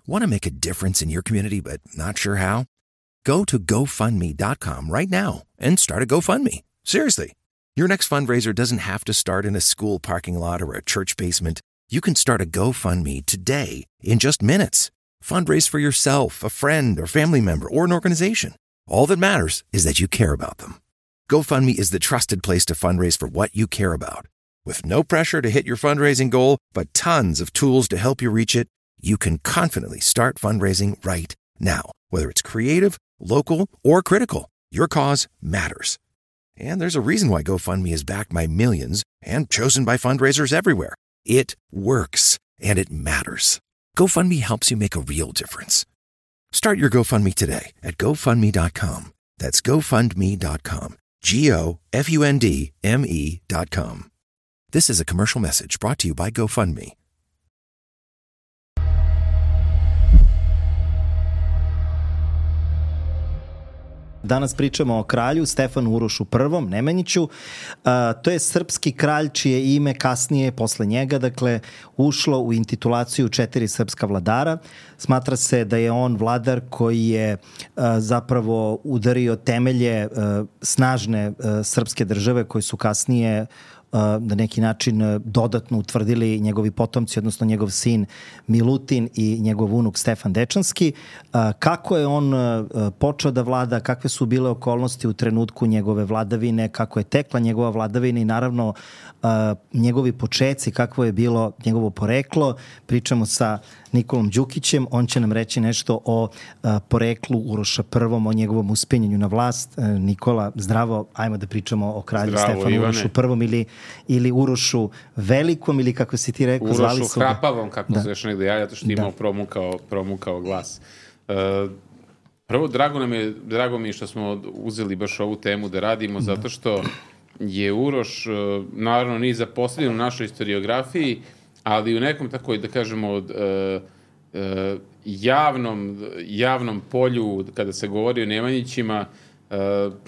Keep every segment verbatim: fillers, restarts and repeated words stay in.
Want to make a difference in your community but not sure how? Go to go fund me dot com right now and start a GoFundMe. Seriously. Your next fundraiser doesn't have to start in a school parking lot or a church basement. You can start a GoFundMe today in just minutes. Fundraise for yourself, a friend, or family member, or an organization. All that matters is that you care about them. GoFundMe is the trusted place to fundraise for what you care about. With no pressure to hit your fundraising goal, but tons of tools to help you reach it, you can confidently start fundraising right now. Whether it's creative, local, or critical, your cause matters. And there's a reason why GoFundMe is backed by millions and chosen by fundraisers everywhere. It works, and it matters. GoFundMe helps you make a real difference. Start your GoFundMe today at go fund me dot com. That's go fund me dot com. G O F U N D M E dot com. This is a commercial message brought to you by GoFundMe. Danas pričamo o kralju Stefanu Urošu I. Nemanjiću. Uh, to je srpski kralj čije ime kasnije, posle njega, dakle, ušlo u intitulaciju četiri srpska vladara. Smatra se da je on vladar koji je uh, zapravo udario temelje uh, snažne uh, srpske države koje su kasnije na neki način dodatno utvrdili njegovi potomci, odnosno njegov sin Milutin i njegov unuk Stefan Dečanski. Kako je on počeo da vlada, kakve su bile okolnosti u trenutku njegove vladavine, kako je tekla njegova vladavina i naravno njegovi počeci, kakvo je bilo njegovo poreklo. Pričamo sa Nikolom Đukićem, on će nam reći nešto o poreklu Uroša I, o njegovom uspenjanju na vlast. Nikola, zdravo, ajmo da pričamo o kralju zdravo, Stefanu Ivane. Urošu I ili, ili Urošu Velikom ili kako si ti rekao, Urošu zvali su ga. Hrapavom, kako da. se još negde javlja, to što imao promukao, promukao glas. Uh, prvo, drago, nam je, drago mi je što smo uzeli baš ovu temu da radimo, da. zato što je Uroš, naravno, nije zaposlen u našoj historiografiji, ali u nekom tako, da kažemo, od, uh, uh, javnom, javnom polju, kada se govori o Nemanjićima, uh,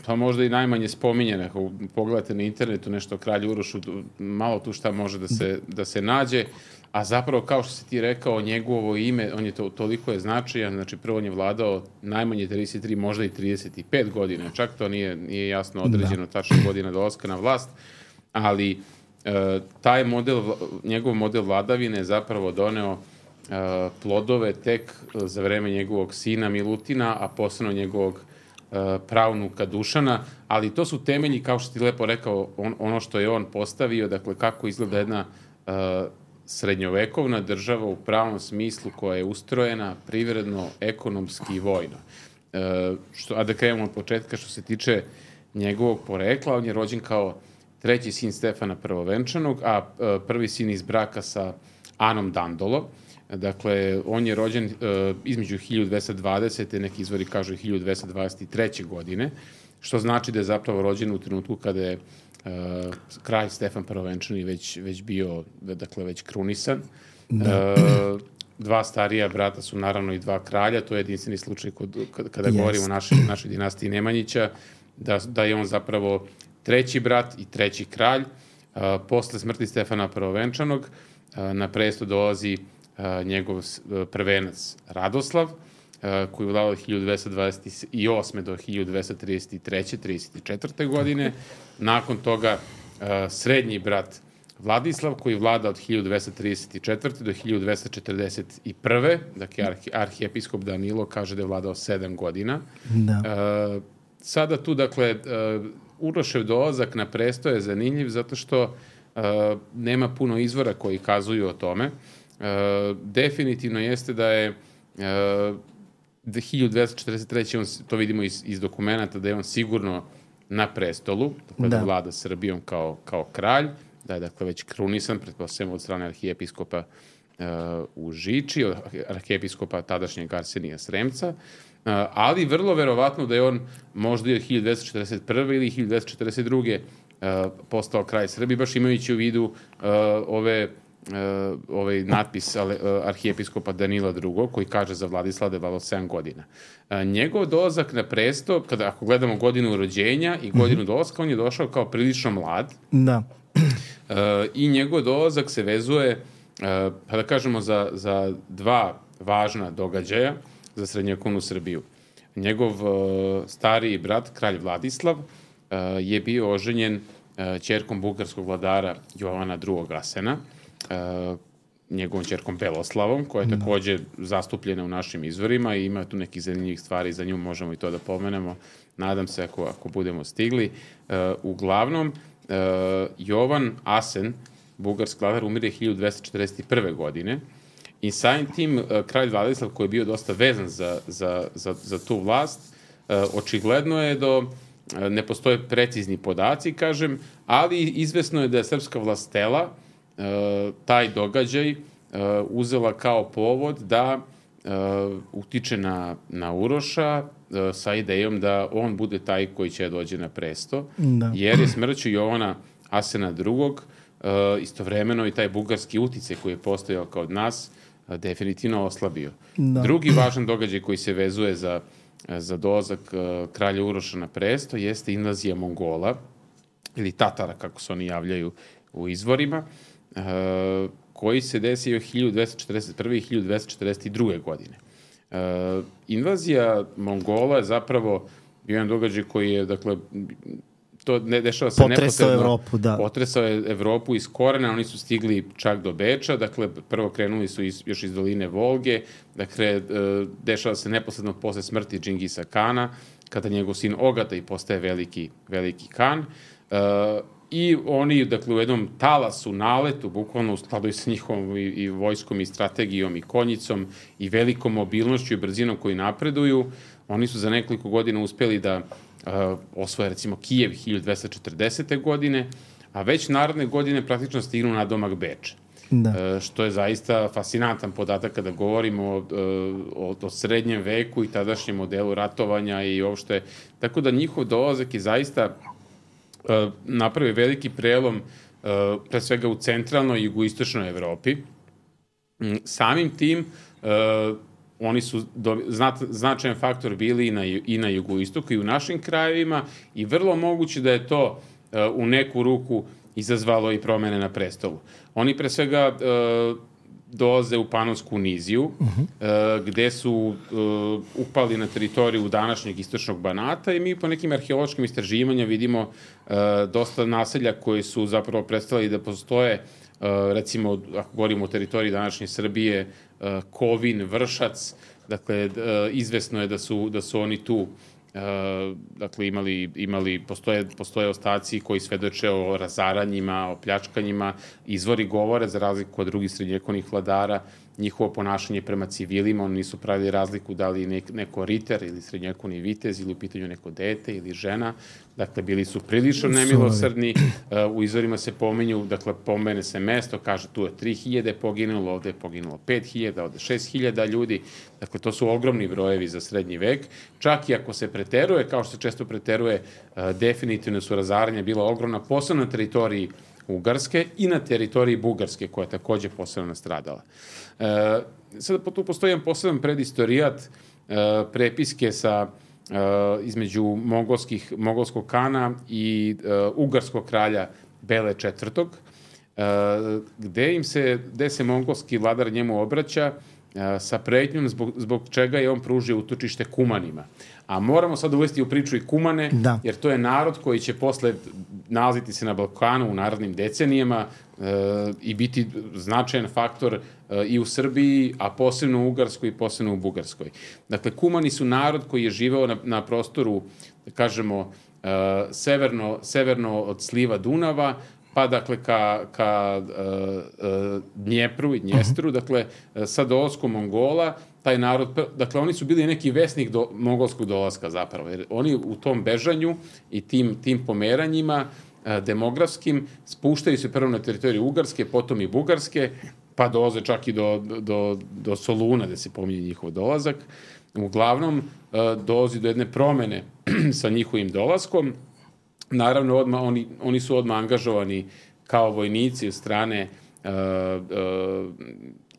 pa možda i najmanje spominjene. Ako pogledate na internetu nešto o kralju Urošu, malo tu šta može da se, da se nađe, a zapravo, kao što si ti rekao, njegovo ime, on je to, toliko je značajan, znači prvo on je vladao najmanje trideset tri, možda i trideset pet godina, čak to nije, nije jasno određeno da. tačna godina dolaska na vlast, ali Uh, taj model, njegov model vladavine je zapravo doneo uh, plodove tek za vreme njegovog sina Milutina, a posebno njegovog uh, pravnuka Dušana, ali to su temelji, kao što ti lepo rekao, on, ono što je on postavio, dakle kako izgleda jedna uh, srednjovekovna država u pravom smislu koja je ustrojena privredno, ekonomski i vojno. Uh, što, a da krenemo od početka što se tiče njegovog porekla, on je rođen kao treći sin Stefana Prvovenčanog, a prvi sin iz braka sa Anom Dandolo. Dakle, on je rođen uh, između hiljadu dvesta dvadesete. neki izvori kažu hiljadu dvesta dvadeset treće. godine, što znači da je zapravo rođen u trenutku kada je uh, kralj Stefan Prvovenčani već, već bio, dakle, već krunisan. Da. Uh, dva starija brata su naravno i dva kralja, to je jedinstveni slučaj kod, kada yes. govorimo o našoj, našoj dinastiji Nemanjića, da, da je on zapravo treći brat i treći kralj. Uh, posle smrti Stefana Prvovenčanog uh, na presto dolazi uh, njegov uh, prvenac Radoslav, uh, koji je vladao od hiljadu dvesta dvadeset osme. do hiljadu dvesta trideset treće. trideset četvrte. godine. Nakon toga uh, srednji brat Vladislav, koji vlada od hiljadu dvesta trideset četvrte. do hiljadu dvesta četrdeset prve. Dakle, arhi, arhijepiskop Danilo kaže da je vladao sedam godina. Da. Uh, sada tu, dakle, uh, Urošev dolazak na presto je zanimljiv zato što uh, nema puno izvora koji kazuju o tome. Uh, definitivno jeste da je uh, hiljadu dvesta četrdeset treće. On, to vidimo iz, iz dokumenta, da je on sigurno na prestolu, dakle da, da vlada Srbijom kao, kao kralj, da je dakle već krunisan, pretpostavljamo od strane arhijepiskopa uh, u Žiči, od arhijepiskopa tadašnjeg Arsenija Sremca, Uh, ali vrlo verovatno da je on možda i od hiljadu dvesta četrdeset prve. ili hiljadu dvesta četrdeset druge. Uh, postao kralj Srbije, baš imajući u vidu uh, ove, uh, ovaj natpis uh, arhijepiskopa Danila drugog. koji kaže za Vladislava da je vladao sedam godina. Uh, njegov dolazak na presto, kada ako gledamo godinu rođenja i godinu mm-hmm. dolaska, on je došao kao prilično mlad. Da. Uh, I njegov dolazak se vezuje, uh, pa da kažemo, za, za dva važna događaja za srednjovekovnu Srbiju. Njegov stariji brat, kralj Vladislav, je bio oženjen ćerkom bugarskog vladara Jovana drugog. Asena, njegovom ćerkom Beloslavom, koja je takođe zastupljena u našim izvorima i ima tu nekih zanimljivih stvari, za nju možemo i to da pomenemo, nadam se ako, ako budemo stigli. Uglavnom, Jovan Asen, bugarski vladar, umire hiljadu dvesta četrdeset prve. godine i samim tim kralj Vladislav, koji je bio dosta vezan za, za, za, za tu vlast, očigledno je da ne postoje precizni podaci, kažem, ali izvesno je da je srpska vlast htela taj događaj uzela kao povod da utiče na, na Uroša sa idejom da on bude taj koji će dođe na presto, da. Jer je smrću Jovana Asena drugog. Istovremeno i taj bugarski uticaj koji je postojao kao nas definitivno oslabio. Da. Drugi važan događaj koji se vezuje za, za dolazak kralja Uroša na presto jeste invazija Mongola, ili Tatara, kako se oni javljaju u izvorima, koji se desio hiljadu dvesta četrdeset prve. i hiljadu dvesta četrdeset druge. godine. Invazija Mongola je zapravo bio jedan događaj koji je, dakle, to ne dešava se potresao neposredno. Evropu, da. Potresao je Evropu iz korena, oni su stigli čak do Beča, dakle, prvo krenuli su iz, još iz doline Volge, dakle, dešava se neposredno posle smrti Džingisa Kana, kada njegov sin Ogataj postaje veliki, veliki kan. I oni, dakle, u jednom talasu, naletu, bukvalno u skladu i sa njihovom i, i vojskom i strategijom i konjicom i velikom mobilnošću i brzinom koji napreduju, oni su za nekoliko godina uspeli da uh, osvoje, recimo, Kijev hiljadu dvesta četrdesete. godine, a već naredne godine praktično stignu na domak Beča. Da. Uh, što je zaista fascinantan podatak kada govorimo o, o, o srednjem veku i tadašnjem modelu ratovanja i uopšte. Tako da njihov dolazak je zaista napravi veliki prelom pre svega u centralnoj i jugoistočnoj Evropi. Samim tim oni su do, znat, značajan faktor bili i na, i na jugoistoku i u našim krajevima i vrlo moguće da je to u neku ruku izazvalo i promene na prestolu. Oni pre svega dolaze u Panonsku niziju, uh-huh. gde su uh, upali na teritoriju današnjeg istočnog Banata i mi po nekim arheološkim istraživanjima vidimo uh, dosta naselja koji su zapravo predstavili da postoje, uh, recimo, ako govorimo o teritoriji današnje Srbije, uh, Kovin, Vršac, dakle, uh, izvesno je da su, da su oni tu Uh, dakle, imali, imali postoje, postoje ostaci koji svedoče o razaranjima, o pljačkanjima, izvori govore, za razliku od drugih srednjevekovnih vladara, njihovo ponašanje prema civilima, oni nisu pravili razliku da li nek, neko riter ili srednjevekovni vitez ili u pitanju neko dete ili žena, dakle, bili su prilično nemilosrdni, uh, u izvorima se pominju, dakle, pomene se mesto, kaže tu je tri hiljade poginulo, ovde je poginulo pet hiljada, ovde šest hiljada ljudi, dakle, to su ogromni brojevi za srednji vek, čak i ako se preteruje, kao što se često preteruje, uh, definitivno su razaranja bila ogromna, posebno na teritoriji Ugarske i na teritoriji Bugarske, koja je takođe posebno nastradala. E, sada tu postoji jedan poseban predistorijat, e, prepiske sa e, između mongolskih, mongolskog kana i e, ugarskog kralja Bele četvrtog. E, gde im se, gde se mongolski vladar njemu obraća e, sa pretnjom zbog, zbog čega je on pružio utočište Kumanima. A moramo sad uvesti u priču i Kumane, da. Jer to je narod koji će posle nalaziti se na Balkanu u narednim decenijama e, i biti značajan faktor e, i u Srbiji, a posebno u Ugarskoj i posebno u Bugarskoj. Dakle, Kumani su narod koji je živeo na, na prostoru, da kažemo, e, severno, severno od sliva Dunava, pa dakle ka, ka uh, uh, Dnjepru i Dnjestru, dakle sa dolaskom Mongola, taj narod, dakle oni su bili neki vesnik do, mongolskog dolaska zapravo, jer oni u tom bežanju i tim, tim pomeranjima uh, demografskim spuštaju se prvo na teritoriju Ugarske, potom i Bugarske, pa dolaze čak i do, do, do Soluna, gde se pominje njihov dolazak. Uglavnom, uh, dolazi do jedne promene sa njihovim dolaskom. Naravno, odmah, oni, oni su odmah angažovani kao vojnici od strane uh, uh,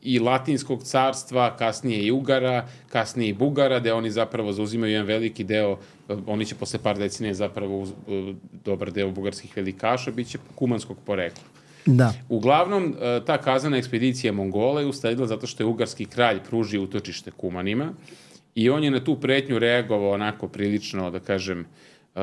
i Latinskog carstva, kasnije i Ugara, kasnije i Bugara, gde oni zapravo zauzimaju jedan veliki deo, uh, oni će posle par decenije zapravo uh, dobar deo bugarskih velikaša, bit će kumanskog porekla. Da. Uglavnom, ta kazana ekspedicija Mongola je usledila zato što je ugarski kralj pružio utočište Kumanima i on je na tu pretnju reagovao onako prilično, da kažem, uh,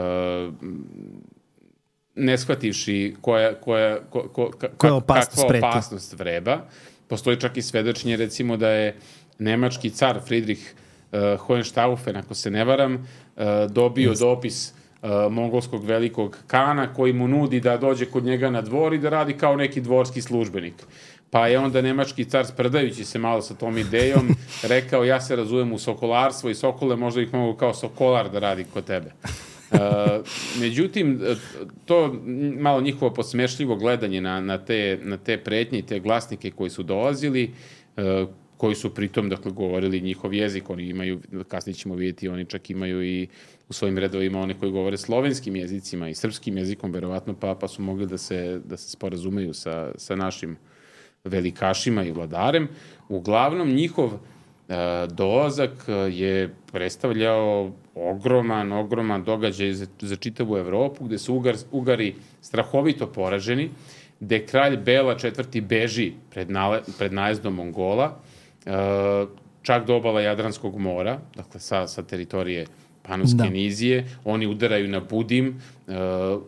ne shvativši koja, koja, ko, ko, ka, koja opasnost kakva preti. opasnost vreba. Postoji čak i svedočenje, recimo, da je nemački car Friedrich uh, Hohenstaufen, ako se ne varam, uh, dobio Just. dopis uh, mongolskog velikog kana koji mu nudi da dođe kod njega na dvor i da radi kao neki dvorski službenik. Pa je onda nemački car, sprdajući se malo sa tom idejom, rekao, ja se razumem u sokolarstvo i sokole, možda ih mogu kao sokolar da radi kod tebe. Uh, međutim, to malo njihovo podsmešljivo gledanje na, na, te, na te pretnje i te glasnike koji su dolazili, uh, koji su pritom, dakle, govorili njihov jezik, oni imaju, kasnije ćemo vidjeti, oni čak imaju i u svojim redovima one koji govore slovenskim jezicima i srpskim jezikom, verovatno, pa, pa su mogli da se, da se sporazumeju sa, sa našim velikašima i vladarem. Uglavnom, njihov uh, dolazak je predstavljao ogroman, ogroman događaj za, za čitavu Evropu, gde su Ugar, Ugari strahovito poraženi, gde kralj Bela četvrti beži pred, nale, pred najezdom Mongola, uh, čak do obala Jadranskog mora, dakle sa, sa teritorije Panonske da. nizije, oni udaraju na Budim, uh,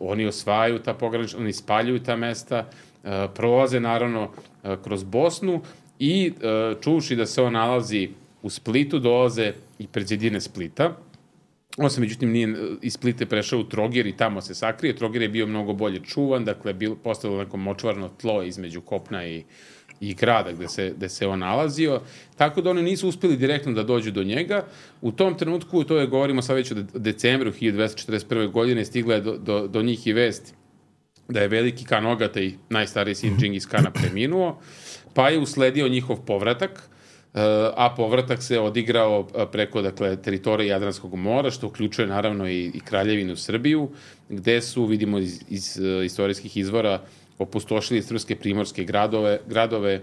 oni osvajaju ta pogranična, oni spaljuju ta mesta, uh, prolaze naravno uh, kroz Bosnu i uh, čuši da se on nalazi u Splitu, dolaze i pred zidine Splita. On se, međutim, nije iz Splite prešao u Trogir i tamo se sakrije. Trogir je bio mnogo bolje čuvan, dakle, bil, postavilo neko močvarno tlo između kopna i, i grada gde se, gde se on nalazio. Tako da oni nisu uspeli direktno da dođu do njega. U tom trenutku, to je, govorimo sad već o decembru hiljadu dvesta četrdeset prve. godine, stigla je do, do, do njih i vest da je veliki kan Ogatej, najstariji sin Džingis Kana, preminuo, pa je usledio njihov povratak, a povratak se odigrao preko, dakle, teritorije Jadranskog mora, što uključuje naravno i, i Kraljevinu Srbiju, gde su, vidimo iz, iz istorijskih izvora, opustošili srpske primorske gradove, gradove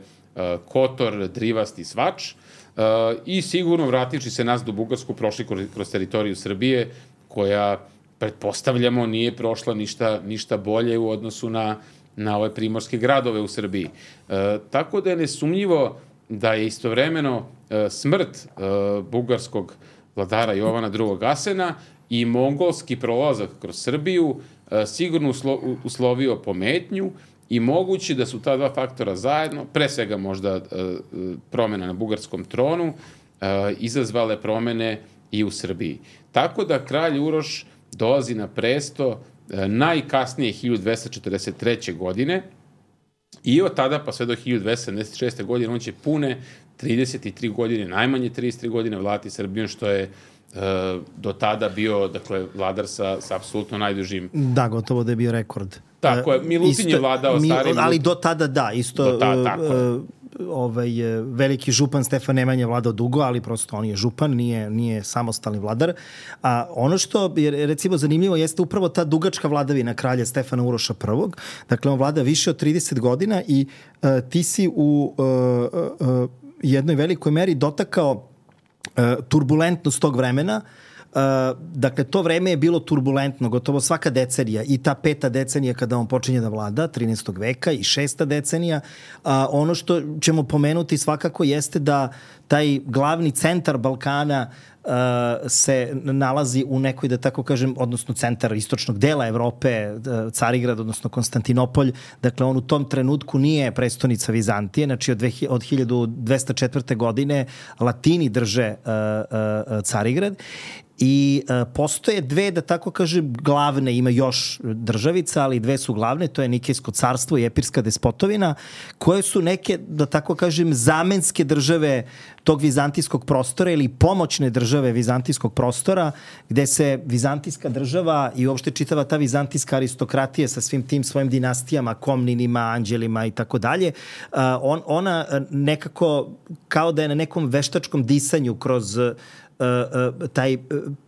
Kotor, Drivast i Svač, i sigurno vrativši se nas do Bugarsku prošli kroz, kroz teritoriju Srbije, koja, pretpostavljamo, nije prošla ništa, ništa bolje u odnosu na, na ove primorske gradove u Srbiji. E, tako da je nesumnjivo da je istovremeno e, smrt e, bugarskog vladara Jovana drugog. Asena i mongolski prolazak kroz Srbiju e, sigurno uslo, uslovio pometnju i moguće da su ta dva faktora zajedno, pre svega možda e, promena na bugarskom tronu, e, izazvale promene i u Srbiji. Tako da kralj Uroš dolazi na presto e, najkasnije hiljadu dvesta četrdeset treće. godine i od tada pa sve do hiljadu dvesta sedamdeset šeste. godine on će pune trideset tri godine, najmanje trideset tri godine vladati Srbijom, što je e, do tada bio, dakle, vladar sa, sa apsolutno najdužim... Da, gotovo da je bio rekord. Tako je, Milutin je vladao mi, starim... Ali do tada da, isto... Do tada, tako je. Ovaj, veliki župan Stefan Nemanja vladao dugo, ali prosto on je župan, nije, nije samostalni vladar. A ono što je, recimo, zanimljivo jeste upravo ta dugačka vladavina kralja Stefana Uroša prvog. Dakle, on vlada više od trideset godina i uh, ti si u uh, uh, jednoj velikoj meri dotakao uh, turbulentnost tog vremena. Uh, dakle, to vreme je bilo turbulentno, gotovo svaka decenija, i ta peta decenija kada on počinje da vlada, trinaestog veka, i šesta decenija. Uh, ono što ćemo pomenuti svakako jeste da taj glavni centar Balkana uh, se nalazi u nekoj, da tako kažem, odnosno centar istočnog dela Evrope, uh, Carigrad, odnosno Konstantinopolj. Dakle, on u tom trenutku nije prestonica Vizantije, znači od, od hiljadu dvesta četvrte. godine Latini drže uh, uh, Carigrad. I uh, postoje dve, da tako kažem, glavne, ima još državica, ali dve su glavne, to je Nikejsko carstvo i Epirska despotovina, koje su neke, da tako kažem, zamenske države tog vizantijskog prostora ili pomoćne države vizantijskog prostora, gde se vizantijska država i uopšte čitava ta vizantijska aristokratija sa svim tim svojim dinastijama, Komninima, Anđelima i tako dalje, ona nekako kao da je na nekom veštačkom disanju kroz Uh, uh, taj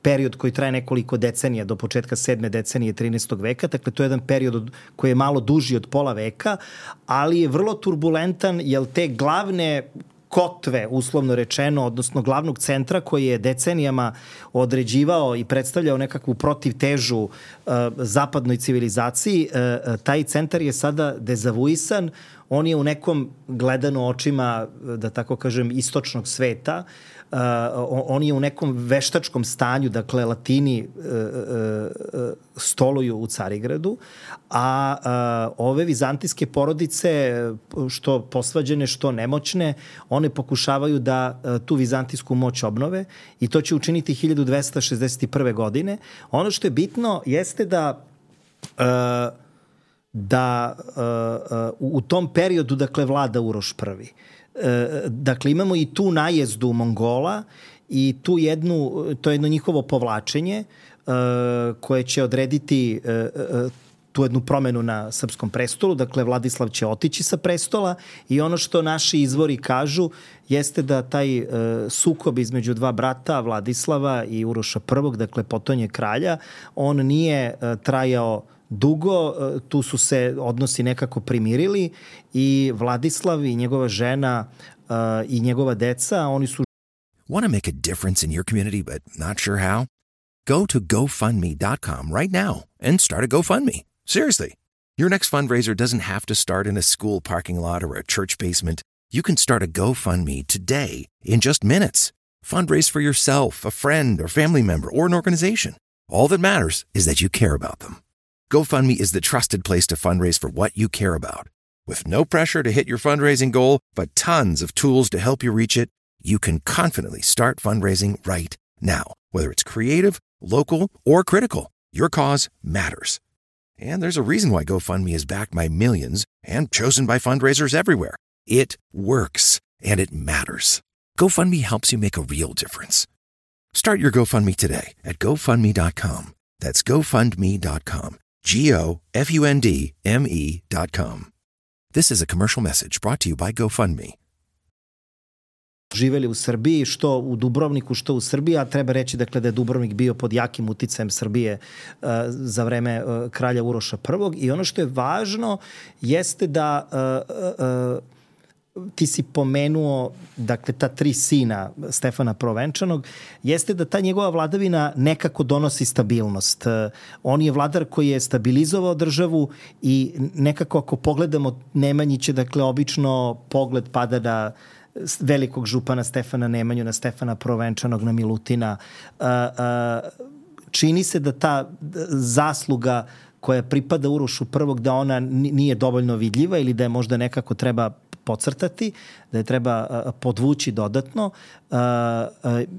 period koji traje nekoliko decenija do početka sedme decenije trinaestog. veka. Dakle, to je jedan period od, koji je malo duži od pola veka, ali je vrlo turbulentan, jer te glavne kotve, uslovno rečeno, odnosno glavnog centra koji je decenijama određivao i predstavljao nekakvu protivtežu uh, zapadnoj civilizaciji, uh, taj centar je sada dezavuisan, on je u nekom gledano očima, da tako kažem, istočnog sveta, uh, on je u nekom veštačkom stanju, dakle Latini uh, uh, stoluju u Carigradu, a uh, ove vizantijske porodice, što posvađene, što nemoćne, one pokušavaju da uh, tu vizantijsku moć obnove i to će učiniti hiljadu dvesta šezdeset prve. godine. Ono što je bitno jeste da uh, da uh, uh, u tom periodu, dakle, vlada Uroš prvi. Uh, dakle, imamo i tu najezdu Mongola i tu jednu, to je jedno njihovo povlačenje uh, koje će odrediti uh, uh, tu jednu promenu na srpskom prestolu. Dakle, Vladislav će otići sa prestola i ono što naši izvori kažu jeste da taj uh, sukob između dva brata, Vladislava i Uroša prvog, dakle, potonje kralja, on nije uh, trajao dugo, tu su se odnosi nekako primirili i Vladislav i njegova žena uh, i njegova deca, oni su... Want to make a difference in your community but not sure how? Go to go fund me dot com right now and start a GoFundMe. Seriously. Your next fundraiser doesn't have to start in a school parking lot or a church basement. You can start a GoFundMe today in just minutes. Fundraise for yourself, a friend or family member or an organization. All that matters is that you care about them. GoFundMe is the trusted place to fundraise for what you care about. With no pressure to hit your fundraising goal, but tons of tools to help you reach it, you can confidently start fundraising right now. Whether it's creative, local, or critical, your cause matters. And there's a reason why GoFundMe is backed by millions and chosen by fundraisers everywhere. It works, and it matters. GoFundMe helps you make a real difference. Start your GoFundMe today at go fund me dot com. That's go fund me dot com. G O F U N D M E dot com. This is a commercial message brought to you by GoFundMe. Živeli u Srbiji, što u Dubrovniku, što u Srbiji, a treba reći, dakle, da je Dubrovnik bio pod jakim uticajem Srbije uh, za vreme uh, kralja Uroša prvog. I ono što je važno jeste da uh, uh, ti si pomenuo, dakle, ta tri sina Stefana Prvovenčanog, jeste da ta njegova vladavina nekako donosi stabilnost. On je vladar koji je stabilizovao državu i nekako ako pogledamo Nemanjiće, dakle, obično pogled pada na velikog župana Stefana Nemanju, na Stefana Prvovenčanog, na Milutina. Čini se da ta zasluga koja pripada Urošu prvog, da ona nije dovoljno vidljiva ili da je možda nekako treba podcrtati, da je treba podvući dodatno.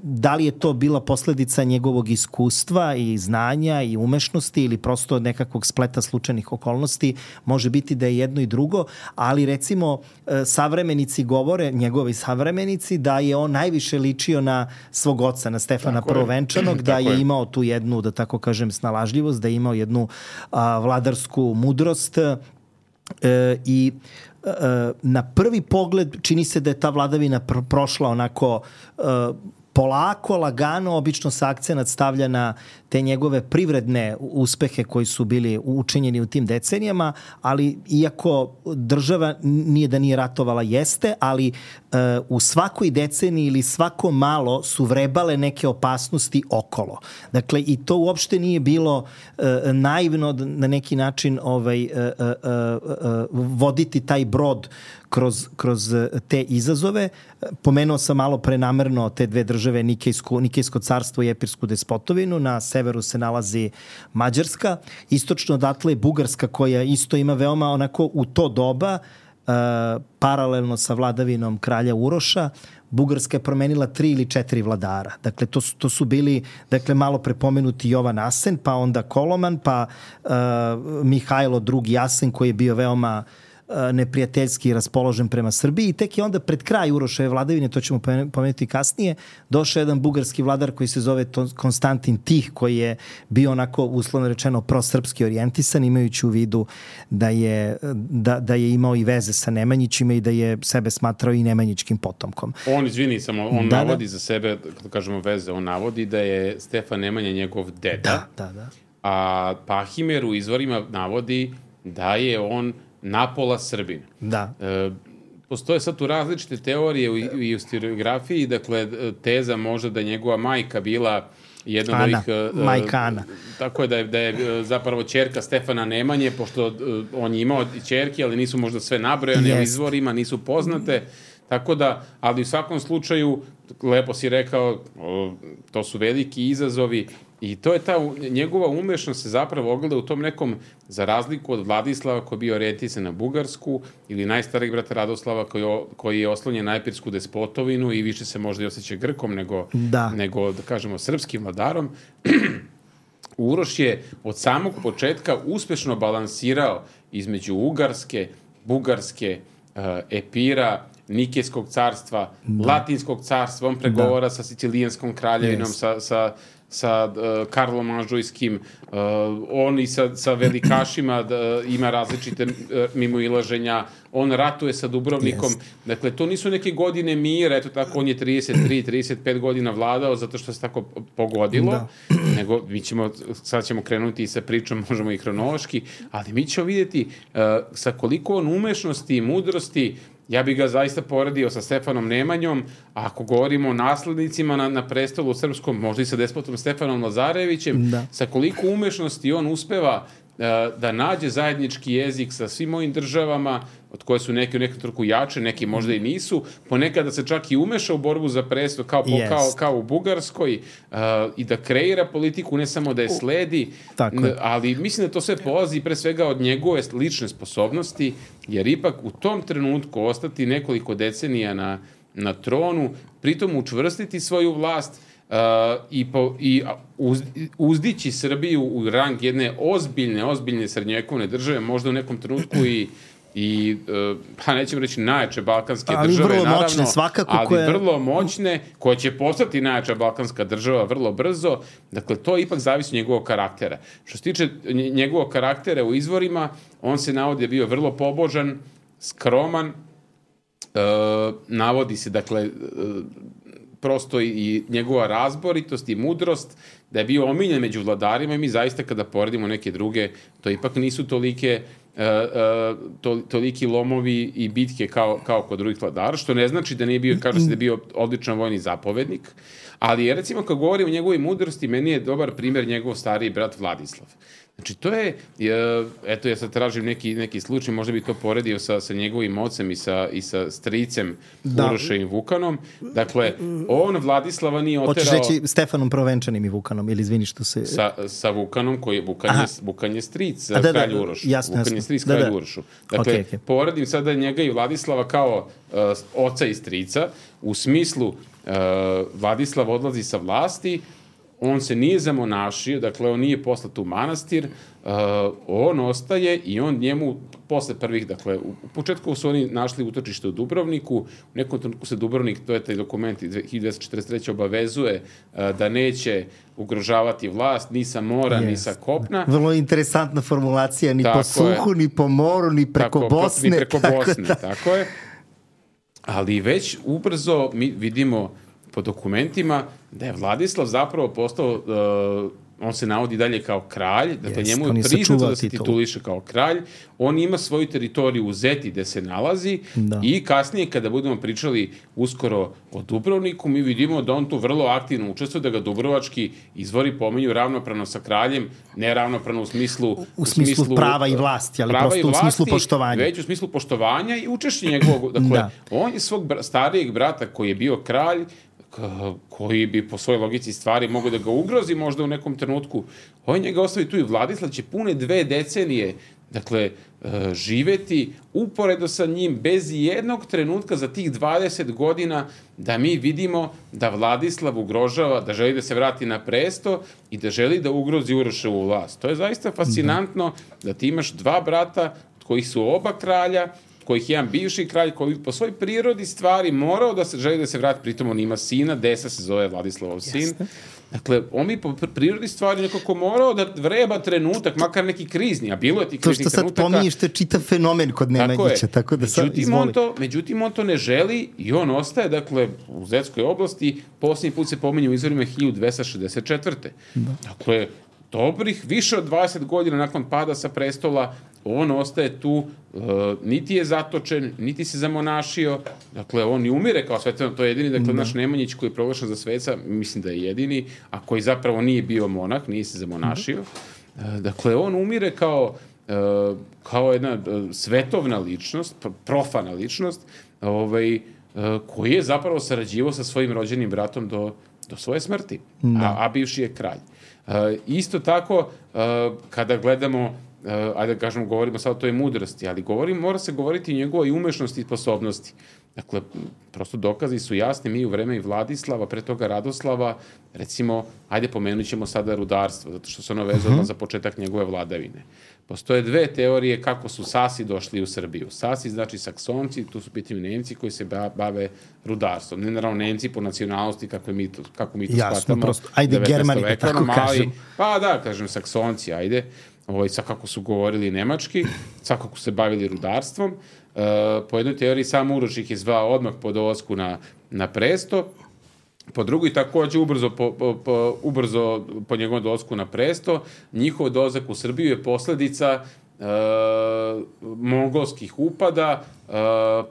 Da li je to bila posledica njegovog iskustva i znanja i umešnosti ili prosto nekakvog spleta slučajnih okolnosti, može biti da je jedno i drugo, ali recimo savremenici govore, njegovi savremenici, da je on najviše ličio na svog oca, na Stefana Prvovenčanog, da je imao tu jednu, da tako kažem, snalažljivost, da je imao jednu a, vladarsku mudrost e, i na prvi pogled čini se da je ta vladavina pr- prošla onako uh, polako, lagano, obično se akcenat stavlja na te njegove privredne uspehe koji su bili učinjeni u tim decenijama, ali iako država nije da nije ratovala, jeste, ali uh, u svakoj deceniji ili svako malo su vrebale neke opasnosti okolo. Dakle, i to uopšte nije bilo uh, naivno na neki način ovaj, uh, uh, uh, voditi taj brod kroz, kroz te izazove. Pomenuo sam malo prenamerno te dve države, Nikejsko, Nikejsko carstvo i Epirsku despotovinu. Na severu se nalazi Mađarska. Istočno odatle je Bugarska, koja isto ima veoma onako u to doba, uh, paralelno sa vladavinom kralja Uroša, Bugarska je promenila tri ili četiri vladara. Dakle, to su, to su bili, dakle, malo prepomenuti Jovan Asen, pa onda Koloman, pa uh, Mihajlo drugi Asen, koji je bio veoma neprijateljski raspoložen prema Srbiji, i tek je onda pred kraj Uroševe vladavine, to ćemo pomenuti kasnije, došao jedan bugarski vladar koji se zove Konstantin Tih, koji je bio onako, uslovno rečeno, prosrpski orijentisan, imajući u vidu da je, da, da je imao i veze sa Nemanjićima i da je sebe smatrao i nemanjičkim potomkom. On, izvini, samo, on da, navodi da. za sebe, kada kažemo veze, on navodi da je Stefan Nemanja njegov deda, da, da, da. a Pahimer u izvorima navodi da je on napola Srbin. Da. E, postoje sad tu različite teorije u, i u historiografiji, dakle, teza možda da njegova majka bila jedna od ovih... Majka Ana. Tako je da je, da je zapravo ćerka Stefana Nemanje, pošto uh, on je imao ćerke, ali nisu možda sve nabrojane u izvorima, nisu poznate, tako da, ali u svakom slučaju, lepo si rekao, o, to su veliki izazovi i to je ta njegova umešnost se zapravo ogleda u tom nekom, za razliku od Vladislava koji je bio orijentisan na Bugarsku ili najstarijeg brata Radoslava koji, koji je oslonjen na Epirsku despotovinu i više se možda i osjeća Grkom nego, da. nego da kažemo, srpskim vladarom. Uroš je od samog početka uspešno balansirao između Ugarske, Bugarske, uh, Epira, Nikejskog carstva, da. Latinskog carstva, on pregovara da. sa Sicilijanskom kraljevinom, yes. sa, sa, sa uh, Karlom Anžujskim, uh, on i sa, sa velikašima da, ima različite uh, mimoilaženja, on ratuje sa Dubrovnikom, yes. dakle, to nisu neke godine mira, eto tako, on je trideset tri trideset pet godina vladao zato što se tako pogodilo, da. nego mi ćemo, sad ćemo krenuti i sa pričom, možemo i hronološki, ali mi ćemo vidjeti uh, sa koliko on umešnosti i mudrosti. Ja bih ga zaista poredio sa Stefanom Nemanjom, a ako govorimo o naslednicima na, na prestolu srpskom, možda i sa despotom Stefanom Lazarevićem, da. sa koliko umešnosti on uspeva uh, da nađe zajednički jezik sa svim ovim državama, od koje su neki u nekom trenutku jače, neki možda i nisu, ponekad da se čak i umeša u borbu za presto, kao, yes. kao, kao u Bugarskoj, uh, i da kreira politiku, ne samo da je sledi, n- ali mislim da to sve polazi pre svega od njegove lične sposobnosti, jer ipak u tom trenutku ostati nekoliko decenija na, na tronu, pritom učvrstiti svoju vlast, Uh, i, po, i uz, uzdići Srbiju u rang jedne ozbiljne, ozbiljne srednjovekovne države, možda u nekom trenutku i i, uh, pa nećemo reći najjače balkanske ali države, vrlo naravno, moćne, svakako ali koje... vrlo moćne, koje će postati najjača balkanska država vrlo brzo. Dakle, to ipak zavisi od njegovog karaktera. Što se tiče njegovog karaktera u izvorima, on se navodi da je bio vrlo pobožan, skroman, uh, navodi se, dakle, uh, prosto i njegova razboritost i mudrost, da je bio omiljen među vladarima i mi zaista kada poredimo neke druge, to ipak nisu tolike, uh, uh, to, toliki lomovi i bitke kao, kao kod drugih vladara, što ne znači da nije bio, kaže se da je bio odličan vojni zapovednik, ali je, recimo, kad govorim o njegovoj mudrosti, meni je dobar primjer njegov stariji brat Vladislav. Znači, to je, eto, ja sad tražim neki, neki slučaj, možda bi to poredio sa, sa njegovim ocem i sa, i sa stricem da. Urošem Vukanom. Dakle, on Vladislava nije oterao... Hoćeš reći Stefanom Prvenčanim i Vukanom, ili izvini što se... Sa, sa Vukanom, koji je Vukan, je, Vukan je stric da, kralju da, Urošu. Jasno, Vukan je stric kralju da, da. Urošu. Dakle, okay, okay. poredim sada njega i Vladislava kao uh, oca i strica, u smislu uh, Vladislav odlazi sa vlasti, on se nije zamonašio, dakle, on nije poslat u manastir, uh, on ostaje i on njemu, posle prvih, dakle, u, u početku su oni našli utočište u Dubrovniku, u nekom trenutku se Dubrovnik, to je taj dokument iz hiljadu dvesta četrdeset treće obavezuje uh, da neće ugrožavati vlast, ni sa mora, yes. ni sa kopna. Vrlo interesantna formulacija, ni tako po suhu, je. Ni po moru, ni preko tako, Bosne. Ni preko tako Bosne, da. Tako je. Ali već ubrzo mi vidimo po dokumentima da je Vladislav zapravo postao, uh, on se navodi dalje kao kralj, dakle yes, njemu je priznato da se tituliše kao kralj, on ima svoju teritoriju u Zeti gde se nalazi da. I kasnije kada budemo pričali uskoro o Dubrovniku, mi vidimo da on tu vrlo aktivno učestvuje, da ga dubrovački izvori pominju ravnopravno sa kraljem, ne ravnopravno u smislu... U, u smislu, smislu prava i vlasti, ali prosto vlasti, u smislu poštovanja. Već u smislu poštovanja i učešće njegovog, dakle, da. On je svog br- starijeg brata koji je bio kralj, koji bi po svojoj logici stvari mogu da ga ugrozi možda u nekom trenutku. On njega ostavi tu i Vladislav će pune dve decenije, dakle, živeti uporedo sa njim bez jednog trenutka za tih dvadeset godina da mi vidimo da Vladislav ugrožava, da želi da se vrati na presto i da želi da ugrozi Uroševu vlast. To je zaista fascinantno da ti imaš dva brata od kojih su oba kralja, kojih je jedan bivši kralj koji po svoj prirodi stvari morao da se želi da se vrati, pritom on ima sina, Desa se zove Vladislavov sin. Jeste. Dakle, on mi po prirodi stvari nekako morao da vreba trenutak, makar neki krizni, a bilo je ti kriznih trenutaka. To što sad pominješ, to je čitav fenomen kod Nemanjića, tako, tako da sad međutim, izvoli. On to, međutim, on to ne želi i on ostaje, dakle, u Zetskoj oblasti, posljednji put se pominje u izvorima hiljadu dvesta šezdeset četvrte. Da. Dakle, dobrih više od dvadeset godina nakon pada sa prestola, on ostaje tu, uh, niti je zatočen, niti se zamonašio, dakle, on i umire kao svetan, to je jedini, dakle, naš Nemanjić koji je proglašen za sveca, mislim da je jedini, a koji zapravo nije bio monah, nije se zamonašio. Uh, dakle, on umire kao, uh, kao jedna uh, svetovna ličnost, profana ličnost, ovaj, uh, koji je zapravo sarađivao sa svojim rođenim bratom do, do svoje smrti, a, a bivši je kralj. Uh, isto tako, uh, kada gledamo Uh, ajde da kažemo, govorimo sad o toj mudrosti, ali govorimo, mora se govoriti o njegovoj umešnosti i sposobnosti. Dakle, prosto dokazi su jasni, mi u vreme i Vladislava, pre toga Radoslava, recimo, ajde pomenut ćemo sada rudarstvo, zato što se ono vezano uh-huh. za početak njegove vladavine. Postoje dve teorije kako su Sasi došli u Srbiju. Sasi znači Saksonci, tu su pitanju Nemci koji se bave rudarstvom. Ne naravno Nemci po nacionalnosti, kako mi to, kako mi to Jasno, shvatamo. Prosto. Ajde, Germani, da tako kažem. Pa da, kažem, Saksonci, ajde. Ovo, sad kako su govorili nemački, sad kako se bavili rudarstvom. Uh, po jednoj teoriji sam Uroš ih je zvao odmah po dolasku na, na presto. Po drugoj takođe ubrzo po, po, po, ubrzo po njegovom dolasku na presto. Njihov dolazak u Srbiju je posledica uh, mongolskih upada, uh,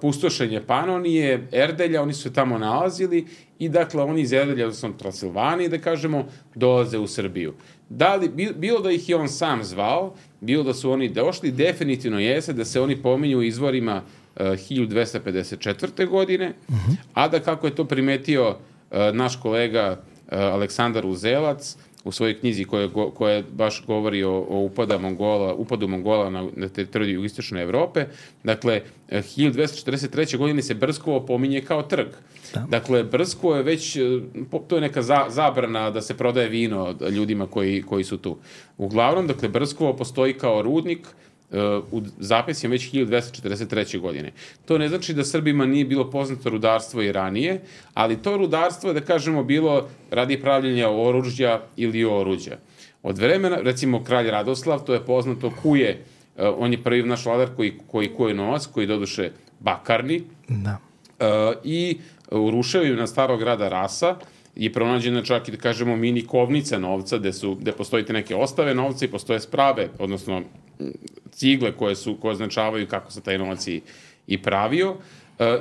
pustošenje Panonije, Erdelja, oni su se tamo nalazili i dakle oni iz Erdelja, odnosno Transilvanije, da kažemo, dolaze u Srbiju. Da li, bilo da ih je on sam zvao, bilo da su oni došli, definitivno jeste da se oni pominju u izvorima uh, hiljadu dvesta pedeset četvrte. godine, uh-huh. a da kako je to primetio uh, naš kolega uh, Aleksandar Uzelac u svojoj knjizi koja, koja baš govori o, o upada Mongola, upadu Mongola na, na teritoriju jugoistočne Evrope, dakle, uh, hiljadu dvesta četrdeset treće. godine se Brskovo pominje kao trg. Da. Dakle, Brskovo je već, to je neka za, zabrana da se prodaje vino ljudima koji, koji su tu. Uglavnom, dakle, Brskovo postoji kao rudnik uh, u zapisima već hiljadu dvesta četrdeset treće. godine. To ne znači da Srbima nije bilo poznato rudarstvo i ranije, ali to rudarstvo je, da kažemo, bilo radi pravljenja oružja ili oruđa. Od vremena, recimo, kralj Radoslav, to je poznato, kuje, uh, on je prvi naš vladar koji, koji kuje novac, koji doduše bakarni, da. Uh, i u ruševima starog grada Rasa je pronađena čak i, da kažemo, mini kovnica novca, gde, su, gde postoji te neke ostave novca i postoje sprave, odnosno cigle koje, su, koje označavaju kako se taj novac i, i pravio. Uh,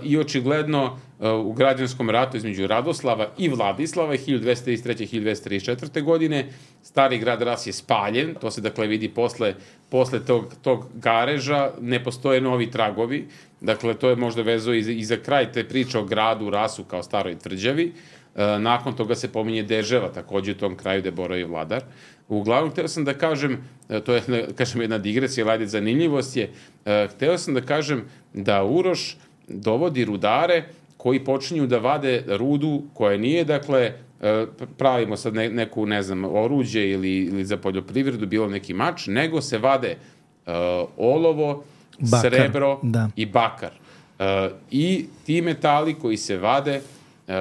I očigledno uh, u građanskom ratu između Radoslava i Vladislava hiljadu dvesta trideset treće. i hiljadu dvesta trideset četvrte. godine stari grad Ras je spaljen, to se dakle vidi posle, posle tog, tog gareža, ne postoje novi tragovi, dakle to je možda vezo i za, i za kraj te priče o gradu Rasu kao staroj tvrđavi. Uh, nakon toga se pominje Deževa, takođe u tom kraju gde boravi vladar. Uglavnom, hteo sam da kažem, to je, da kažem, jedna digresija, ali ajde, zanimljivost je, uh, hteo sam da kažem da Uroš dovodi rudare koji počinju da vade rudu koja nije, dakle, pravimo sad ne, neku, ne znam, oruđe ili, ili za poljoprivredu, bilo neki mač, nego se vade uh, olovo, bakar, srebro da. i bakar. Uh, I ti metali koji se vade uh,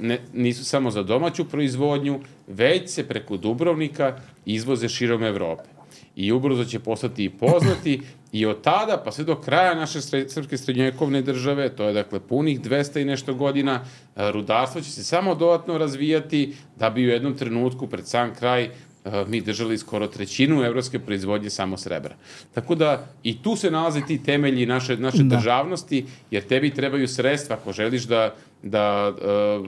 ne, nisu samo za domaću proizvodnju, već se preko Dubrovnika izvoze širom Evrope. I ubrzo će postati i poznati i od tada pa sve do kraja naše sred, srpske srednjovekovne države, to je dakle punih dvesta i nešto godina, rudarstvo će se samo dodatno razvijati da bi u jednom trenutku pred sam kraj mi držali skoro trećinu evropske proizvodnje samo srebra. Tako da i tu se nalaze ti temelji naše, naše da. državnosti, jer tebi trebaju sredstva ako želiš da, da uh,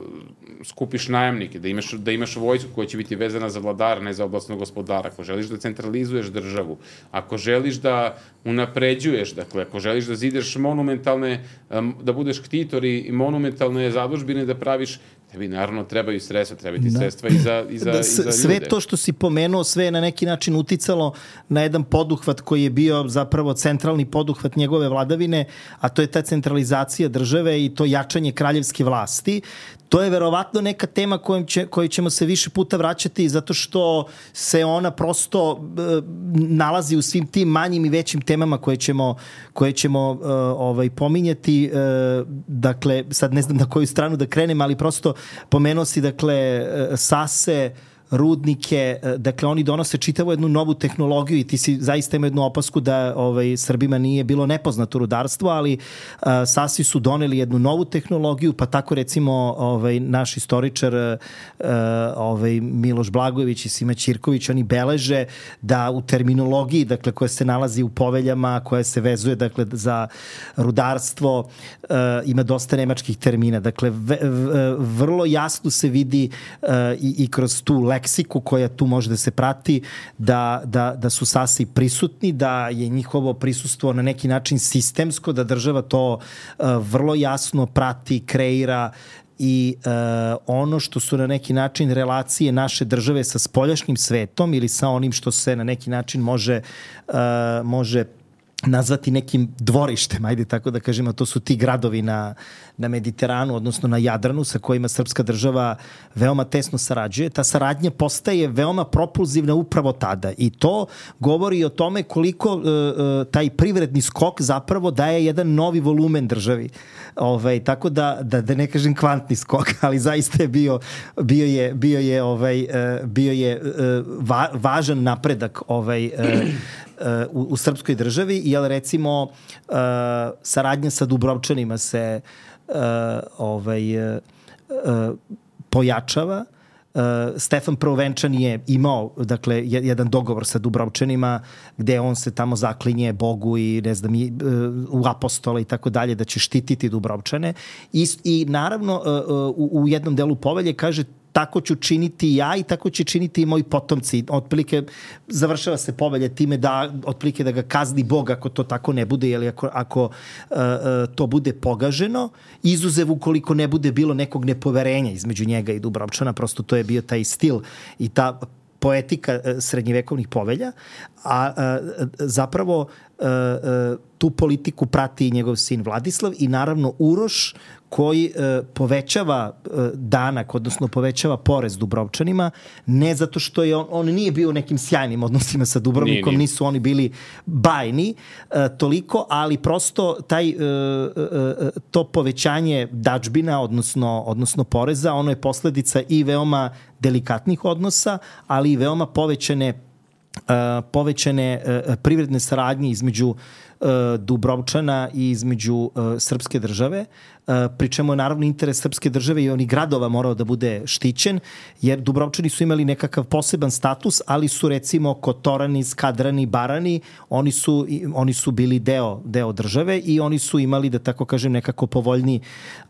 skupiš najamnike, da imaš, da imaš vojsku koja će biti vezana za vladara, ne za oblastnog gospodara, ako želiš da centralizuješ državu, ako želiš da unapređuješ, dakle, ako želiš da zideš monumentalne, um, da budeš ktitor i monumentalne zadužbine da praviš, tebi naravno trebaju sredstva, trebaju ti da. sredstva i za, i za, da, i za ljude. Sve to što si pomenuo, sve je na neki način uticalo na jedan poduhvat koji je bio zapravo centralni poduhvat njegove vladavine, a to je ta centralizacija države i to jačanje kraljevske vlasti. To je verovatno neka tema kojom će, kojoj ćemo se više puta vraćati zato što se ona prosto e, nalazi u svim tim manjim i većim temama koje ćemo, koje ćemo e, ovaj, pominjati. E, dakle, sad ne znam na koju stranu da krenem, ali prosto pomenuo si, dakle, Sase, rudnike, dakle oni donose čitavu jednu novu tehnologiju i ti si zaista ima jednu opasku da ovaj, Srbima nije bilo nepoznato rudarstvo, ali uh, Sasi su doneli jednu novu tehnologiju, pa tako recimo ovaj, naš istoričar uh, ovaj, Miloš Blagojević i Sima Ćirković, oni beleže da u terminologiji, dakle koja se nalazi u poveljama, koja se vezuje dakle za rudarstvo, uh, ima dosta nemačkih termina. Dakle, v, v, vrlo jasno se vidi uh, i, i kroz tu leksiku koja tu može da se prati da, da, da su Sasi prisutni, da je njihovo prisustvo na neki način sistemsko, da država to uh, vrlo jasno prati, kreira i uh, ono što su na neki način relacije naše države sa spoljašnjim svetom ili sa onim što se na neki način može uh, može nazvati nekim dvorištem, ajde tako da kažemo, to su ti gradovi na, na Mediteranu, odnosno na Jadranu, sa kojima srpska država veoma tesno sarađuje. Ta saradnja postaje veoma propulzivna upravo tada i to govori o tome koliko uh, uh, taj privredni skok zapravo daje jedan novi volumen državi. Ovaj, tako da, da, da ne kažem kvantni skok, ali zaista je bio, bio je, bio je, ovaj, uh, bio je uh, va, važan napredak ovaj, uh, u, u srpskoj državi, jer recimo uh, saradnja sa Dubrovčanima se uh, ovaj, uh, pojačava. Uh, Stefan Prvovenčan je imao dakle, jedan dogovor sa Dubrovčanima gde on se tamo zaklinje Bogu i ne znam, i, uh, u apostola i tako dalje, da će štititi Dubrovčane. I, i naravno uh, u, u jednom delu povelje kaže tako ću činiti ja i tako će činiti i moji potomci. Otprilike završava se povelja time da otprilike da ga kazni Bog ako to tako ne bude, ili ako, ako uh, uh, to bude pogaženo, izuzev ukoliko ne bude bilo nekog nepoverenja između njega i Dubrovčana, prosto to je bio taj stil i ta poetika uh, srednjevekovnih povelja, a uh, zapravo uh, uh, tu politiku prati i njegov sin Vladislav i naravno Uroš koji e, povećava e, danak, odnosno povećava porez Dubrovčanima, ne zato što je on, on nije bio u nekim sjajnim odnosima sa Dubrovnikom, nije, nije. Nisu oni bili bajni e, toliko, ali prosto taj, e, e, to povećanje dačbina, odnosno, odnosno poreza, ono je posledica i veoma delikatnih odnosa, ali i veoma povećane, e, povećane e, privredne saradnje između Dubrovčana i između uh, srpske države, uh, pri čemu je naravno interes srpske države i onih gradova morao da bude štićen, jer Dubrovčani su imali nekakav poseban status, ali su recimo Kotorani, Skadrani, Barani, oni su, oni su bili deo, deo države i oni su imali, da tako kažem, nekako povoljni,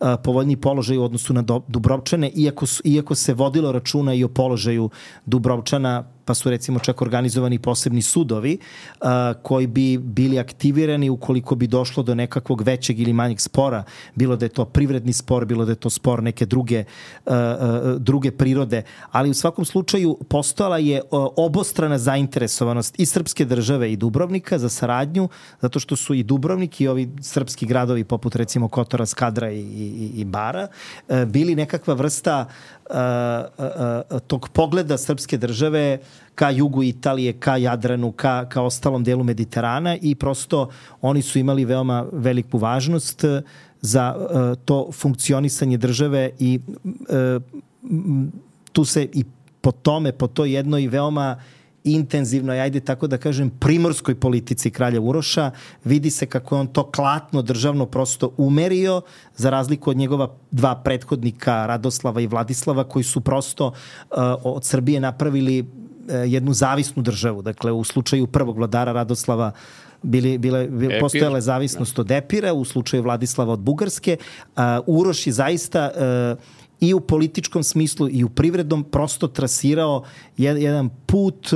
uh, povoljni položaj u odnosu na do, Dubrovčane, iako, su, iako se vodilo računa i o položaju Dubrovčana, pa su recimo čak organizovani posebni sudovi uh, koji bi bili aktivirani ukoliko bi došlo do nekakvog većeg ili manjeg spora, bilo da je to privredni spor, bilo da je to spor neke druge, uh, uh, druge prirode, ali u svakom slučaju postojala je uh, obostrana zainteresovanost i srpske države i Dubrovnika za saradnju, zato što su i Dubrovnik i ovi srpski gradovi poput recimo Kotora, Skadra i, i, i Bara uh, bili nekakva vrsta Uh, uh, uh, tog pogleda srpske države ka jugu Italije, ka Jadranu, ka, ka ostalom delu Mediterana i prosto oni su imali veoma veliku važnost za uh, to funkcionisanje države i uh, tu se i po tome, po toj jednoj veoma intenzivnoj, ajde tako da kažem, primorskoj politici kralja Uroša, vidi se kako je on to klatno državno prosto umerio, za razliku od njegova dva prethodnika, Radoslava i Vladislava, koji su prosto uh, od Srbije napravili uh, jednu zavisnu državu. Dakle, u slučaju prvog vladara Radoslava bili, bile, bile, postojala zavisnost od Epira, u slučaju Vladislava od Bugarske. Uh, Uroš je zaista uh, i u političkom smislu i u privrednom prosto trasirao jedan put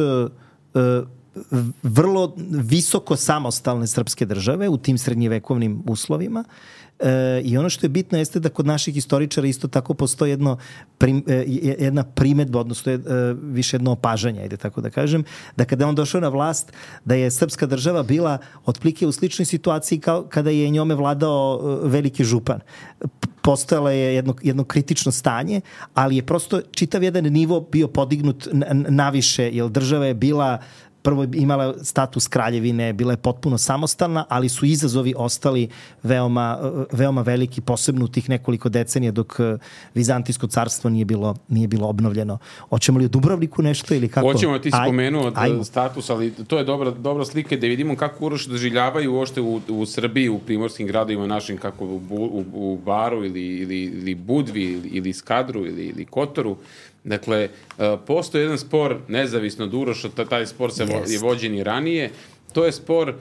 vrlo visoko samostalne srpske države u tim srednjevekovnim uslovima. E, I ono što je bitno jeste da kod naših historičara isto tako postoji jedno, prim, jedna primetba, odnosno je, više jedno opažanje, ajde tako da kažem, da kada je on došao na vlast, da je srpska država bila otplike u sličnoj situaciji kao kada je njome vladao veliki župan. Postojalo je jedno, jedno kritično stanje, ali je prosto čitav jedan nivo bio podignut naviše, jer država je bila prvo imala status kraljevine, bila je potpuno samostalna, ali su izazovi ostali veoma, veoma veliki, posebno u tih nekoliko decenija dok Vizantijsko carstvo nije bilo, nije bilo obnovljeno. Hoćemo li o Dubrovniku nešto ili kako? Hoćemo, ti spomenuo status, ali to je dobra, dobra slika da vidimo kako Uroš doživljavaju uopšte u, u Srbiji, u primorskim gradovima našim, kako u, u, u Baru ili, ili, ili Budvi ili, ili Skadru ili, ili Kotoru. Dakle, postoji jedan spor nezavisno od Uroša, taj spor se yes. je vođen i ranije. To je spor uh,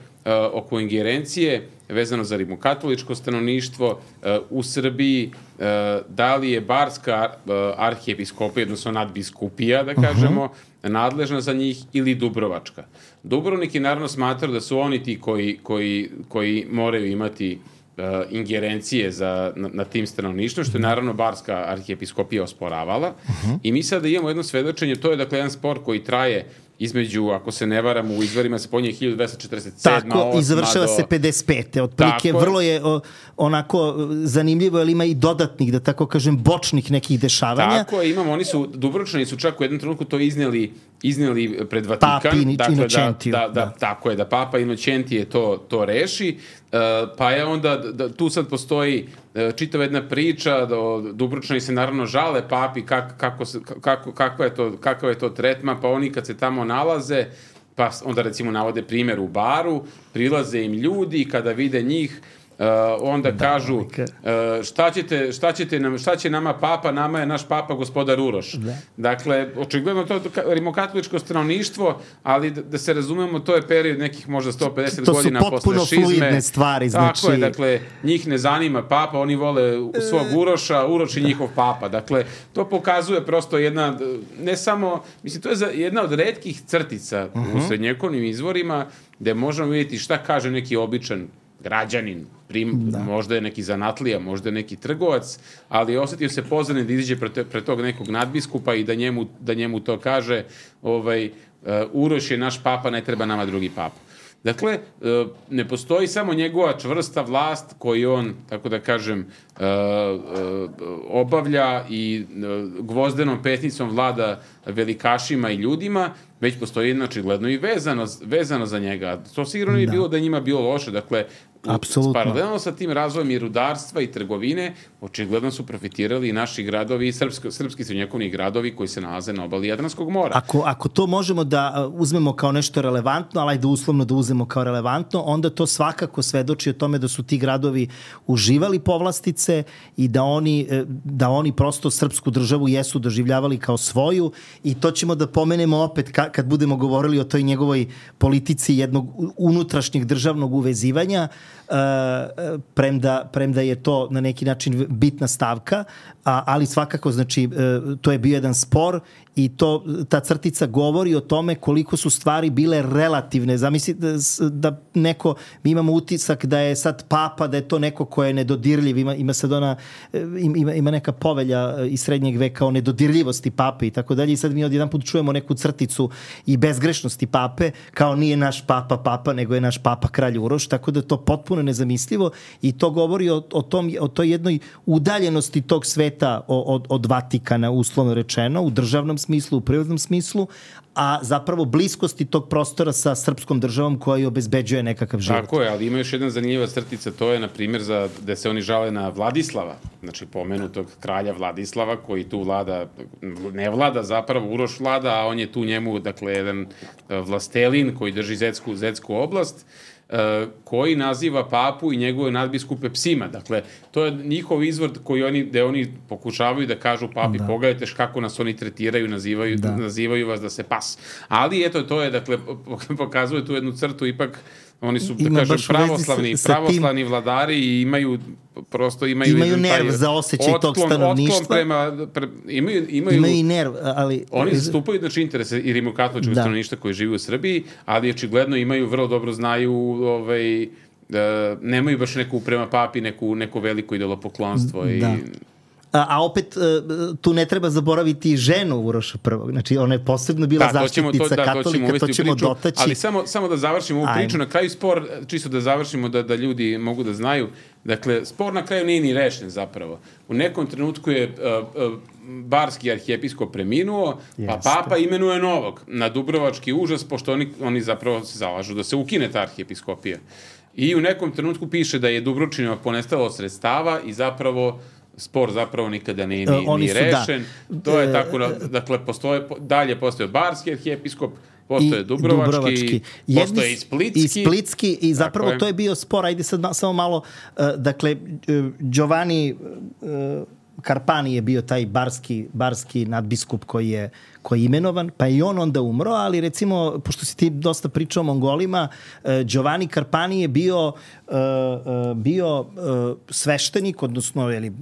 oko ingerencije vezano za rimokatoličko stanovništvo uh, u Srbiji, uh, da li je Barska uh, arhijepiskopija, odnosno nadbiskupija, da kažemo, uh-huh. nadležna za njih ili Dubrovačka. Dubrovnik je naravno smatrao da su oni ti koji, koji, koji moraju imati uh, ingerencije za, na, na tim stanovništvom, što je naravno Barska arhijepiskopija osporavala. Uh-huh. I mi sada imamo jedno svedočenje, to je dakle jedan spor koji traje između, ako se ne varam, u izvorima se pominje hiljadu dvesta četrdeset sedma. Tako, i završava do... se pedeset pete. Otprilike, vrlo je o, onako zanimljivo, jer ima i dodatnih, da tako kažem, bočnih nekih dešavanja. Tako je, imamo, oni su, Dubrovčani su čak u jednom trenutku to iznijeli, iznijeli pred Vatikan. Papi dakle, Inocentiju. Da, da, da, tako je, da Papa Inocentije to, to reši. Uh, pa je onda, da, tu sad postoji uh, čitava jedna priča, da Dubrovčani se naravno žale Papi kak, kako se, kako, kakva je to, kakav je to tretma, pa oni kad se tamo nalaze, pa onda recimo navode primjer u Baru, prilaze im ljudi i kada vide njih, Uh, onda da, kažu uh, šta, ćete, šta, ćete nam, šta će nama Papa, nama je naš Papa gospodar Uroš. Da. Dakle, očigledno to je rimokatoličko stanovništvo, ali da, da se razumemo, to je period nekih možda sto pedeset to godina posle šizme. To su potpuno fluidne stvari. Znači... Tako je, dakle, njih ne zanima Papa, oni vole svog Uroša, Uroš i njihov Papa. Dakle, to pokazuje prosto jedna, ne samo, mislim, to je jedna od retkih crtica uh-huh. u srednjekovnim izvorima, gde možemo vidjeti šta kaže neki običan građanin, prim, možda je neki zanatlija, možda je neki trgovac, ali osetio se pozvanim da izađe pred, pred tog nekog nadbiskupa i da njemu, da njemu to kaže, ovaj, uh, Uroš je naš Papa, ne treba nama drugi Papa. Dakle, uh, ne postoji samo njegova čvrsta vlast koju on, tako da kažem, uh, uh, obavlja i uh, gvozdenom petnicom vlada velikašima i ljudima, već postoji jedna očigledno i vezano, vezano za njega. To sigurno nije da. bilo da je njima bilo loše. Dakle, apsolutno. Paralelno sa tim razvojem i rudarstva i trgovine, očigledno su profitirali i naši gradovi, i srpski, srpski srednjekovni gradovi koji se nalaze na obali Jadranskog mora. Ako, ako to možemo da uzmemo kao nešto relevantno, ali da uslovno da uzmemo kao relevantno, onda to svakako svedoči o tome da su ti gradovi uživali povlastice i da oni, da oni prosto srpsku državu jesu doživljavali kao svoju, i to ćemo da pomenemo opet ka, kad budemo govorili o toj njegovoj politici jednog unutrašnjeg državnog uvezivanja, uh, premda, premda je to na neki način bitna stavka, a, ali svakako, znači, uh, to je bio jedan spor i to, ta crtica govori o tome koliko su stvari bile relativne. Zamisli da, da neko, mi imamo utisak da je sad Papa, da je to neko ko je nedodirljiv, ima, ima sad ona, ima, ima neka povelja iz srednjeg veka o nedodirljivosti Pape i tako dalje, i sad mi odjedan put čujemo neku crticu i bezgrešnosti Pape, kao nije naš Papa Papa, nego je naš Papa kralj Uroš, tako da je to potpuno nezamislivo i to govori o, o, tom, o toj jednoj udaljenosti tog sveta od, od Vatikana, uslovno rečeno, u državnom smislu, u prirodnom smislu, a zapravo bliskosti tog prostora sa srpskom državom koja obezbeđuje nekakav život. Tako je, ali ima još jedna zanimljiva crtica, to je, na primjer, za, da se oni žale na Vladislava, znači pomenutog kralja Vladislava, koji tu vlada, ne vlada zapravo, Uroš vlada, a on je tu njemu, dakle, jedan vlastelin koji drži Zetsku, Zetsku oblast, koji naziva Papu i njegove nadbiskupe psima. Dakle, to je njihov izvor koji oni, gde oni pokušavaju da kažu Papi, da. Pogledajte kako nas oni tretiraju, nazivaju, da. nazivaju vas da se pas. Ali eto, to je, dakle, pokazuje tu jednu crtu, ipak oni su, da kažem, pravoslavni, pravoslavni vladari i imaju prosto imaju imaju nerv za osjećaj tog stanovništva. Prema, pre, imaju, imaju, imaju i nerv, ali... Oni zastupaju, znači, interese i rimokatoličkog da. stanovništva koji živi u Srbiji, ali očigledno imaju, vrlo dobro znaju, ovaj, da, nemaju baš neku prema Papi, neku, neko veliko idolopoklonstvo i... Da. A, a opet tu ne treba zaboraviti ženu Uroša prvog. Znači, ona je posebno bila da, zaštitnica to, da, katolika, to ćemo priču, dotaći. Ali samo, samo da završimo ovu priču, na kraju spor, čisto da završimo, da, da ljudi mogu da znaju, Dakle, spor na kraju nije ni rešen zapravo. U nekom trenutku je uh, uh, barski arhijepiskop preminuo, pa Jeste. Papa imenuje novog na dubrovački užas, pošto oni, oni zapravo se zalažu da se ukine ta arhijepiskopija. I u nekom trenutku piše da je Dubrovčinima ponestalo sredstava i zapravo spor zapravo nikada nije ni, Oni ni su, rešen. da. To je tako, dakle, postoje, dalje postoje barski arhijepiskop, postoje Dubrovački, Dubrovački. postoje i Splitski. I Splitski, i zapravo to je bio spor, ajde sad samo malo, uh, dakle, uh, Giovanni uh, Carpani je bio taj barski, barski nadbiskup koji je, koji je imenovan, pa i on onda umro, ali recimo, pošto si ti dosta pričao o Mongolima, uh, Giovanni Carpani je bio, uh, uh, bio uh, sveštenik, odnosno ili, uh,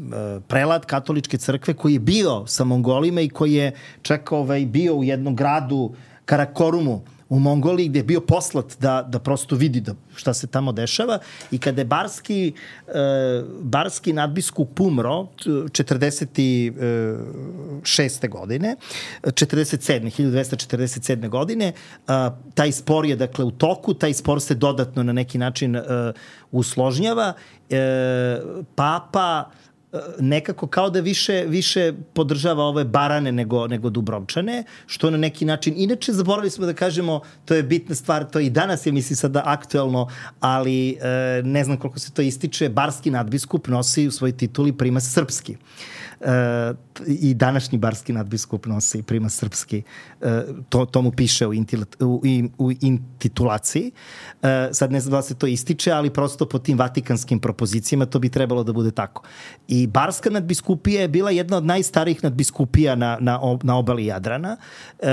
prelat katoličke crkve koji je bio sa Mongolima i koji je čak ovaj, bio u jednom gradu Karakorumu u Mongoliji, gde je bio poslat da, da prosto vidi da šta se tamo dešava. I kada je barski, e, barski nadbiskup umro četrdeset šeste godine, četrdeset sedme hiljadu dvesta četrdeset sedme godine, a, taj spor je dakle u toku, taj spor se dodatno na neki način e, usložnjava. E, Papa nekako kao da više više podržava ove barane nego nego Dubrovčane, što na neki način, inače zaboravili smo da kažemo, to je bitna stvar, to i danas je mislim sada aktuelno, ali e, ne znam koliko se to ističe, barski nadbiskup nosi u svojoj tituli primas srpski. E, i današnji barski nadbiskup nosi primas srpski. E, to, to mu piše u, intila, u, u intitulaciji. E, sad ne znam da se to ističe, ali prosto po tim vatikanskim propozicijama to bi trebalo da bude tako. I barska nadbiskupija je bila jedna od najstarijih nadbiskupija na, na, na obali Jadrana. E,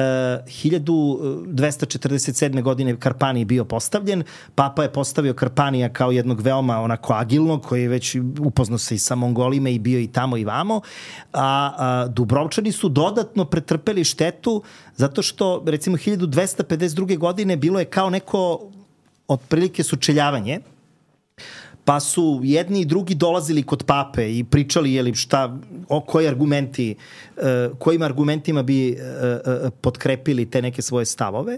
hiljadu dvesta četrdeset sedme godine Carpani je bio postavljen. Papa je postavio Carpanija kao jednog veoma onako agilnog, koji je već upoznao se i sa Mongolima i bio i tamo i vamo. A, a Dubrovčani su dodatno pretrpeli štetu zato što, recimo, hiljadu dvesta pedeset druge godine bilo je kao neko otprilike sučeljavanje, pa su jedni i drugi dolazili kod pape i pričali je li šta, o koji argumenti, uh, kojim argumentima bi uh, uh, potkrepili te neke svoje stavove,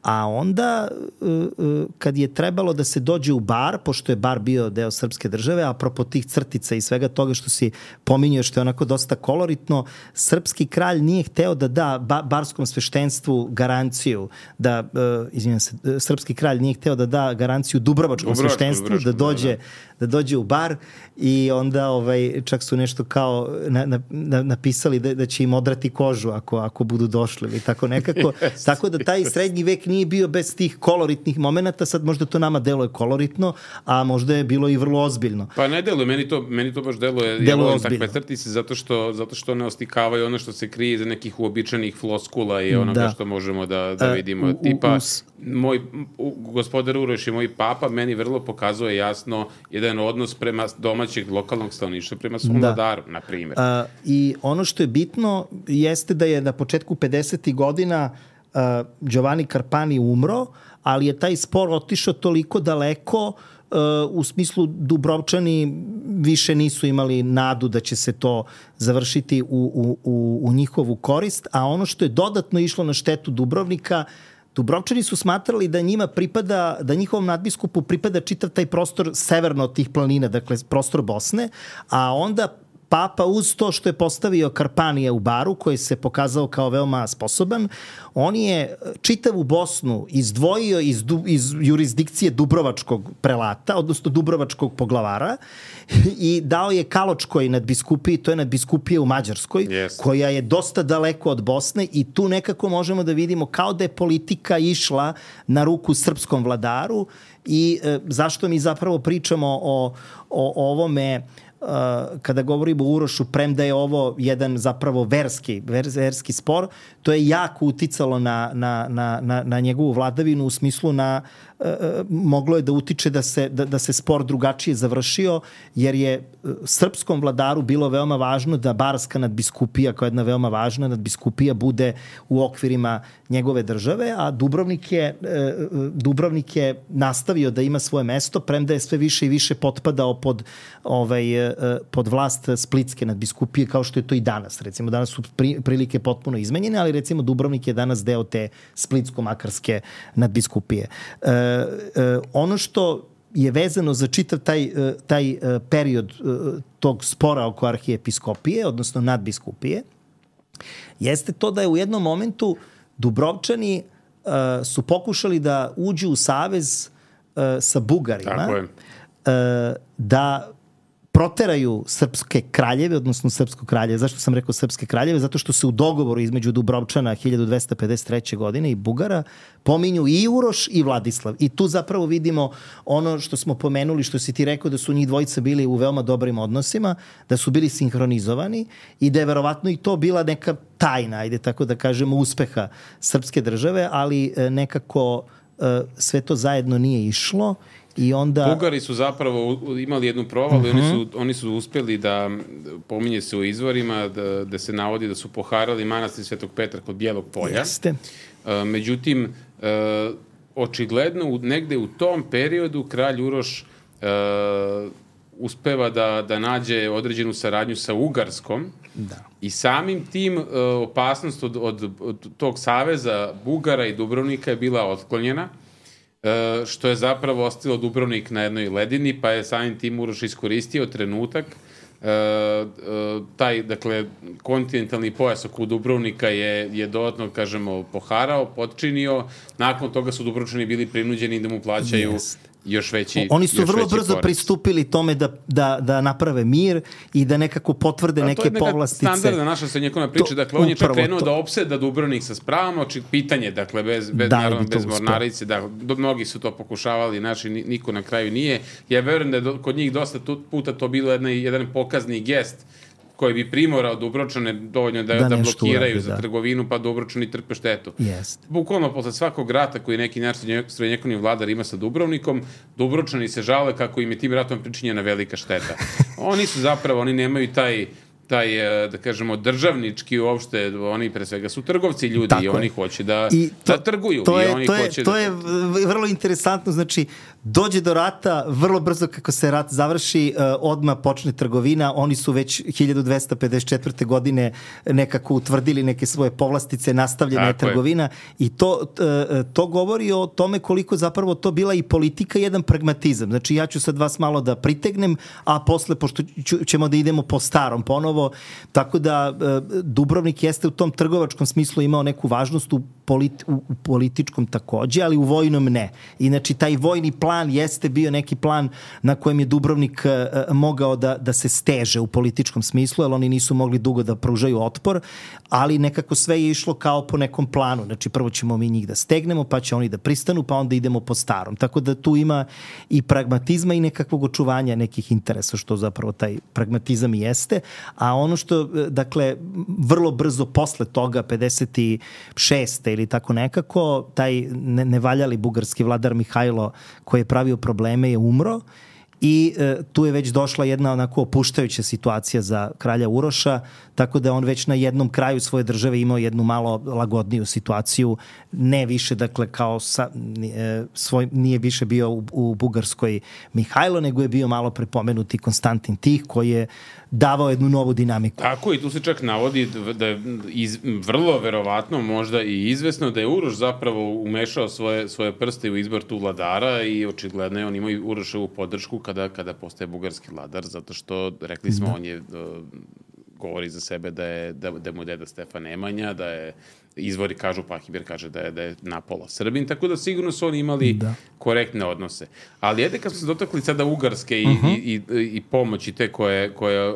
a onda uh, uh, kad je trebalo da se dođe u Bar, pošto je Bar bio deo srpske države, a apropo tih crtica i svega toga što si pominjao, što je onako dosta koloritno, srpski kralj nije hteo da da ba, barskom sveštenstvu garanciju, da, uh, izvinjam se, srpski kralj nije hteo da da garanciju dubrovačkom sveštenstvu, da dođe da dođe u Bar, i onda ovaj, čak su nešto kao na, na, na, napisali da, da će im odrati kožu ako, ako budu došli ili tako nekako. Yes, tako da taj yes. srednji vek nije bio bez tih koloritnih momenata. Sad možda to nama deluje koloritno, a možda je bilo i vrlo ozbiljno. Pa ne deluje, meni to, meni to baš deluje, deluje ja volim takve crtice zato što, zato što ne ostikavaju ono što se krije iza nekih uobičajenih floskula i onoga da. što možemo da, da vidimo. Uh, Tipa, us... moj u, gospodar Uroš i moj papa meni vrlo pokazuje jasno jedan odnos prema domaćeg lokalnog stanovništva prema svom vladaru, na primjer. Uh, I ono što je bitno jeste da je na početku pedesetih godina uh, Giovanni Carpani umro, ali je taj spor otišao toliko daleko uh, u smislu Dubrovčani više nisu imali nadu da će se to završiti u, u, u, u njihovu korist, a ono što je dodatno išlo na štetu Dubrovnika, Dubrovčani su smatrali da njima pripada, da njihovom nadbiskupu pripada čitav taj prostor severno od tih planina, dakle prostor Bosne, a onda Papa uz to što je postavio Carpanija u Baru, koji se pokazao kao veoma sposoban, on je čitavu Bosnu izdvojio iz, iz jurisdikcije Dubrovačkog prelata, odnosno Dubrovačkog poglavara, i dao je Kaločkoj nadbiskupiji, to je nadbiskupija u Mađarskoj, yes. koja je dosta daleko od Bosne, i tu nekako možemo da vidimo kao da je politika išla na ruku srpskom vladaru. I e, zašto mi zapravo pričamo o, o, o ovome Uh, kada govorimo o Urošu, premda je ovo jedan zapravo verski, verski spor, to je jako uticalo na, na, na, na, na njegovu vladavinu, u smislu na uh, moglo je da utiče da se, da, da se spor drugačije završio, jer je srpskom vladaru bilo veoma važno da barska nadbiskupija, kao jedna veoma važna nadbiskupija, bude u okvirima njegove države, a Dubrovnik je, uh, Dubrovnik je nastavio da ima svoje mesto, premda je sve više i više potpadao pod ovaj, pod vlast splitske nadbiskupije, kao što je to i danas. Recimo, danas su pri, prilike potpuno izmenjene, ali recimo Dubrovnik je danas deo te splitsko-makarske nadbiskupije. E, e, ono što je vezano za čitav taj, taj period tog spora oko arhijepiskopije, odnosno nadbiskupije, jeste to da je u jednom momentu Dubrovčani uh, su pokušali da uđu u savez uh, sa Bugarima, uh, da proteraju srpske kraljeve, odnosno srpsko kraljeve. Zašto sam rekao srpske kraljeve? Zato što se u dogovoru između Dubrovčana hiljadu dvesta pedeset treće. godine i Bugara pominju i Uroš i Vladislav. I tu zapravo vidimo ono što smo pomenuli, što si ti rekao da su njih dvojica bili u veoma dobrim odnosima, da su bili sinhronizovani i da je verovatno i to bila neka tajna, ajde tako da kažemo, uspeha srpske države, ali nekako sve to zajedno nije išlo. I onda... Bugari su zapravo imali jednu provalu uh-huh. i oni su, oni su uspjeli da, pominje se u izvorima, da, da se navodi da su poharali manastir Svetog Petra kod Bijelog polja. Jeste. Uh, međutim, uh, očigledno negde u tom periodu kralj Uroš uh, uspeva da, da nađe određenu saradnju sa Ugarskom da. I samim tim uh, opasnost od, od, od tog saveza Bugara i Dubrovnika je bila otklonjena. Uh, što je zapravo ostalo Dubrovnik na jednoj ledini, pa je samim tim Uroš iskoristio trenutak. Uh, uh, taj, dakle, kontinentalni pojas oko Dubrovnika je, je dodatno, kažemo, poharao, potčinio. Nakon toga su Dubrovčani bili prinuđeni da mu plaćaju yes. još veći Oni su vrlo brzo korac. pristupili tome da, da, da naprave mir i da nekako potvrde neke povlastice. To je neka standardna naša srednjekovna priča. Dakle, on je čak krenuo da opseda Dubrovnik sa spravom, pitanje, dakle, bez, bez, da, naravno, bez mornarice. Da, mnogi su to pokušavali, naši niko na kraju nije. Ja verujem da je do, kod njih dosta puta to bilo jedna, jedan pokazni gest koji bi primorao Dubrovčane dovoljno da, da, da blokiraju uradi, za da. trgovinu, pa Dubrovčani trpe štetu. Yes. Bukvalno posle svakog rata koji neki naš srednjekovni vladar ima sa Dubrovnikom, Dubrovčani se žale kako im je tim ratom pričinjena velika šteta. Oni su zapravo, oni nemaju taj taj, da kažemo, državnički uopšte, oni pre svega su trgovci ljudi Tako i oni je. hoće da, I to, da trguju. To je, i oni to je, hoće to da... je vrlo interesantno, znači dođe do rata, vrlo brzo kako se rat završi, odmah počne trgovina, oni su već hiljadu dvesta pedeset četvrte. godine nekako utvrdili neke svoje povlastice, nastavljena je trgovina i to, to govori o tome koliko zapravo to bila i politika i jedan pragmatizam. Znači ja ću sad vas malo da pritegnem, a posle, pošto ćemo da idemo po starom ponovo, tako da Dubrovnik jeste u tom trgovačkom smislu imao neku važnost u, politi- u političkom takođe, ali u vojnom ne. I znači taj vojni plan jeste bio neki plan na kojem je Dubrovnik mogao da, da se steže u političkom smislu, jer oni nisu mogli dugo da pružaju otpor, ali nekako sve je išlo kao po nekom planu. Znači prvo ćemo mi njih da stegnemo, pa će oni da pristanu, pa onda idemo po starom. Tako da tu ima i pragmatizma i nekakvog očuvanja nekih interesa, što zapravo taj pragmatizam i jeste. A ono što, dakle, vrlo brzo posle toga, pedeset šeste ili tako nekako, taj nevaljali bugarski vladar Mihajlo koji je pravio probleme je umro i e, tu je već došla jedna onako opuštajuća situacija za kralja Uroša, tako da on već na jednom kraju svoje države imao jednu malo lagodniju situaciju, ne više, dakle, kao sa, e, svoj, nije više bio u, u Bugarskoj Mihajlo, nego je bio malo prepomenuti Konstantin Tih, koji je davao jednu novu dinamiku. Tako, i tu se čak navodi da je iz, vrlo verovatno, možda i izvesno, da je Uroš zapravo umešao svoje, svoje prste u izbor tu vladara i očigledno je on imao Uroševu podršku kada, kada postaje bugarski vladar, zato što, rekli smo, da. on je govori za sebe da je da, da mu deda Stefan Nemanja, da je izvori kažu, Pahibir kaže da je, da je napola Srbin, tako da sigurno su oni imali da. korektne odnose. Ali jede kad smo se dotakli sada Ugarske i, uh-huh. i, i, i pomoći te koje, koje,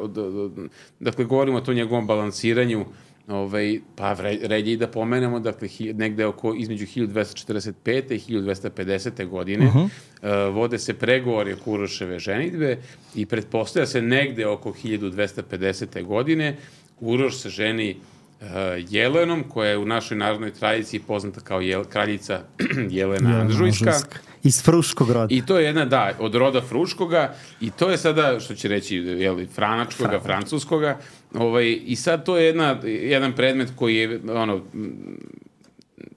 dakle, govorimo o tom njegovom balansiranju, ovaj, pa red je i da pomenemo, dakle, negde oko između hiljadu dvesta četrdeset pete. i hiljadu dvesta pedesete. godine uh-huh. uh, vode se pregovori oko Uroševe ženidbe i pretpostavlja se negde oko hiljadu dvesta pedesete. godine Uroš se ženi uh, Jelenom, koja je u našoj narodnoj tradiciji poznata kao jel, kraljica Jelena ja, Anžujska. Iz Fruškog roda. I to je jedna, da, od roda Fruškoga i to je sada, što će reći, jel, Franačkoga, Franač. Francuskoga. Ovaj, I sad to je jedna, jedan predmet koji je, ono,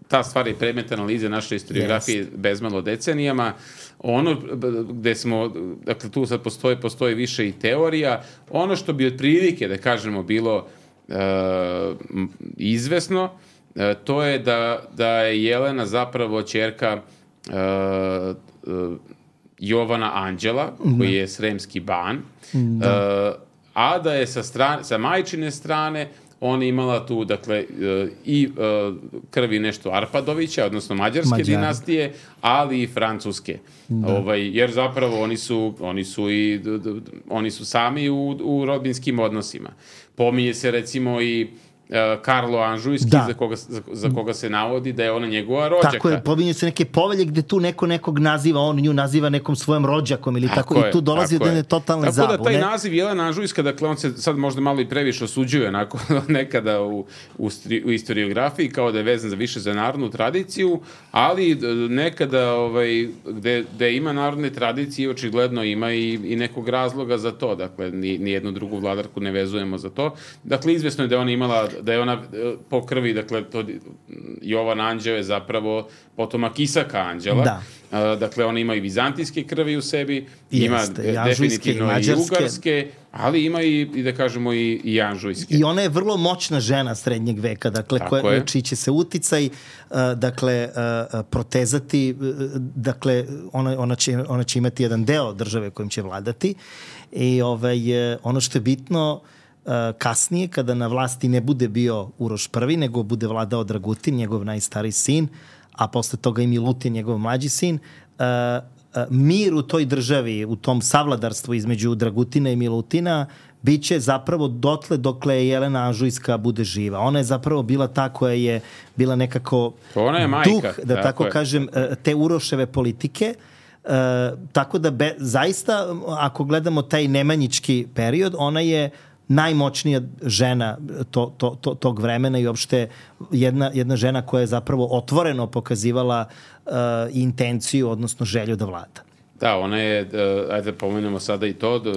ta stvar je predmet analize naše historiografije yes. bezmalo decenijama. Ono gde smo, dakle, tu sad postoji, postoji više i teorija. Ono što bi otprilike, da kažemo, bilo uh, izvesno, uh, to je da, da je Jelena zapravo ćerka Uh, uh, Jovana Anđela, koji je sremski ban, Da. uh, a da je sa, strane, sa majčine strane ona imala tu, dakle, uh, i uh, krvi nešto Arpadovića, odnosno mađarske Mađari. dinastije, ali i francuske. Da. Ovaj, jer zapravo oni su, oni su, i, d, d, oni su sami u, u rodbinskim odnosima. Pominje se recimo i Uh, Karlo Anžujski, Da. za koga, za, za koga se navodi da je ona njegova rođaka. Tako je, pominju se neke povelje gde tu neko nekog naziva, on nju naziva nekom svojom rođakom ili tako, Tako je, i tu dolazi tako do je. jedne totalne zabune. Tako da taj naziv Jelena Anžujska, dakle on se sad možda malo i previše osuđuje onako nekada u, u, stri, u istoriografiji, kao da je vezan za više za narodnu tradiciju, ali nekada ovaj, gde, gde ima narodne tradicije, očigledno ima i, i nekog razloga za to. Dakle, ni, ni jednu drugu vladarku ne vezujemo za to. Dakle, izvesno je da ona imala, da je ona po krvi, dakle, to, Jovan Anđeo je zapravo potomak Isaka Anđela. Da. Uh, dakle, ona ima i vizantijske krvi u sebi, ima Jeste, i anžujske, definitivno i i, mađarske. ugarske, ali ima i, i da kažemo, i, i anžujske. I ona je vrlo moćna žena srednjeg veka, dakle, Tako koja, je. čiji će se uticaj, uh, dakle, uh, protezati, uh, dakle, ona, ona, će, ona će imati jedan deo države kojim će vladati. I ovaj, uh, ono što je bitno, uh, kasnije, kada na vlasti ne bude bio Uroš prvi, nego bude vladao Dragutin, njegov najstariji sin, a posle toga i Milutin, njegov mlađi sin, uh, uh, mir u toj državi, u tom savladarstvu između Dragutina i Milutina, biće zapravo dotle dokle Jelena Anžujska bude živa. Ona je zapravo bila ta koja je bila nekako Ona je majka, duh, da tako tako je. kažem, te Uroševe politike. Uh, tako da be, zaista, ako gledamo taj nemanjički period, ona je najmoćnija žena to, to, to, tog vremena i uopšte jedna, jedna žena koja je zapravo otvoreno pokazivala uh, intenciju, odnosno želju da vlada. Da, ona je, uh, ajde da pomenemo sada i to, da,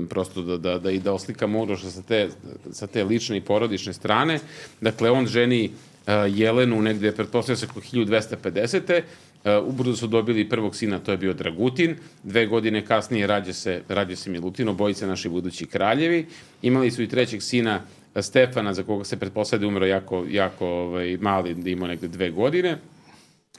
prosto da, da, da i da oslikamo Uroša sa te, sa te lične i porodične strane. Dakle, on ženi uh, Jelenu negde, pretpostavlja se oko hiljadu dvesta pedesete. Uh, ubrzo su dobili prvog sina, to je bio Dragutin. Dve godine kasnije rađa se, rađa se Milutin, obojice naši budući kraljevi. Imali su i trećeg sina Stefana, za koga se pretpostavlja da umro jako, jako ovaj, mali, da imao negde dve godine.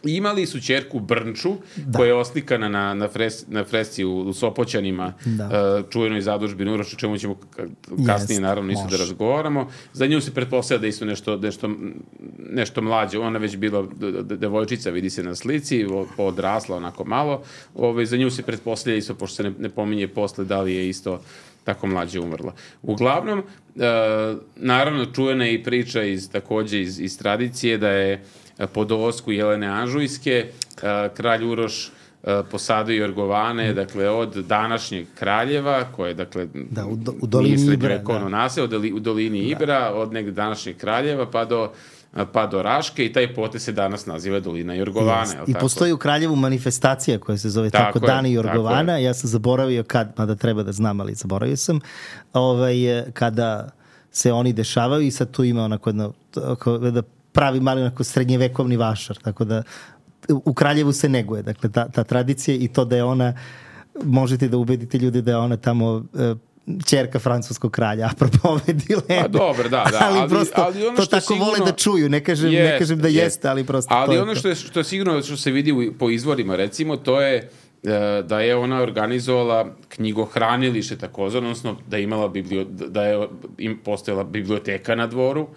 I imali su ćerku Brnču, da. koja je oslikana na, na, fres, na fresci u, u Sopoćanima, da. uh, čuvenoj zadužbini Uroša, čemu ćemo kasnije yes, naravno isto može. da razgovaramo. Za nju se pretpostavlja da isto nešto, nešto, nešto mlađe. Ona već bila devojčica, vidi se na slici, odrasla onako malo. Ove, za nju se pretpostavlja isto, pošto se ne, ne pominje posle da li je isto tako mlađe umrla. Uglavnom, uh, naravno čuvena je i priča iz, takođe iz, iz tradicije da je po dolasku Jelene Anžujske kralj Uroš posadio Jorgovane, dakle, od današnjeg Kraljeva, koje, dakle, da, u, do, u dolini Ibra, da. Nase, od, u dolini Ibra, da. od negde današnjeg Kraljeva, pa do pa do Raške i taj potez se danas naziva Dolina Jorgovane. I tako? Postoji u Kraljevu manifestacija koja se zove tako, tako Dani Jorgovana. Ja sam zaboravio kad, mada treba da znam, ali zaboravio sam, ovaj, kada se oni dešavaju i sad tu ima onako jedno, da pravi mali onako srednjevekovni vašar, tako da u Kraljevu se neguje, dakle, ta, ta tradicija i to da je ona, možete da ubedite ljudi da je ona tamo e, ćerka francuskog kralja, apropo ove dileme. Pa dobro, da, da. Ali, ali prosto ali ono to što tako sigurno, vole da čuju, ne kažem, jest, ne kažem da jest. jeste, ali prosto ali to je ono to. što je, što je sigurno, što se vidi u, po izvorima, recimo, to je da je ona organizovala knjigohranilište takozvano, odnosno da je imala biblio, da je im postojala biblioteka na dvoru,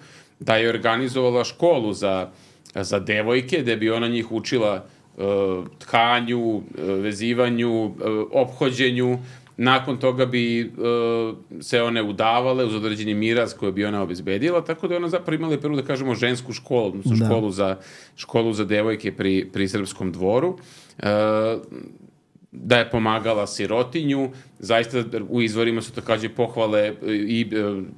da je organizovala školu za, za devojke, gde bi ona njih učila uh, tkanju, uh, vezivanju, uh, ophođenju. Nakon toga bi uh, se one udavale uz određeni miraz koji bi ona obezbedila, tako da je ona zapravo imala prvo, da kažemo, žensku školu, odnosno da. školu, za, školu za devojke pri, pri srpskom dvoru. Uh, da je pomagala sirotinju, zaista u izvorima su takođe pohvale i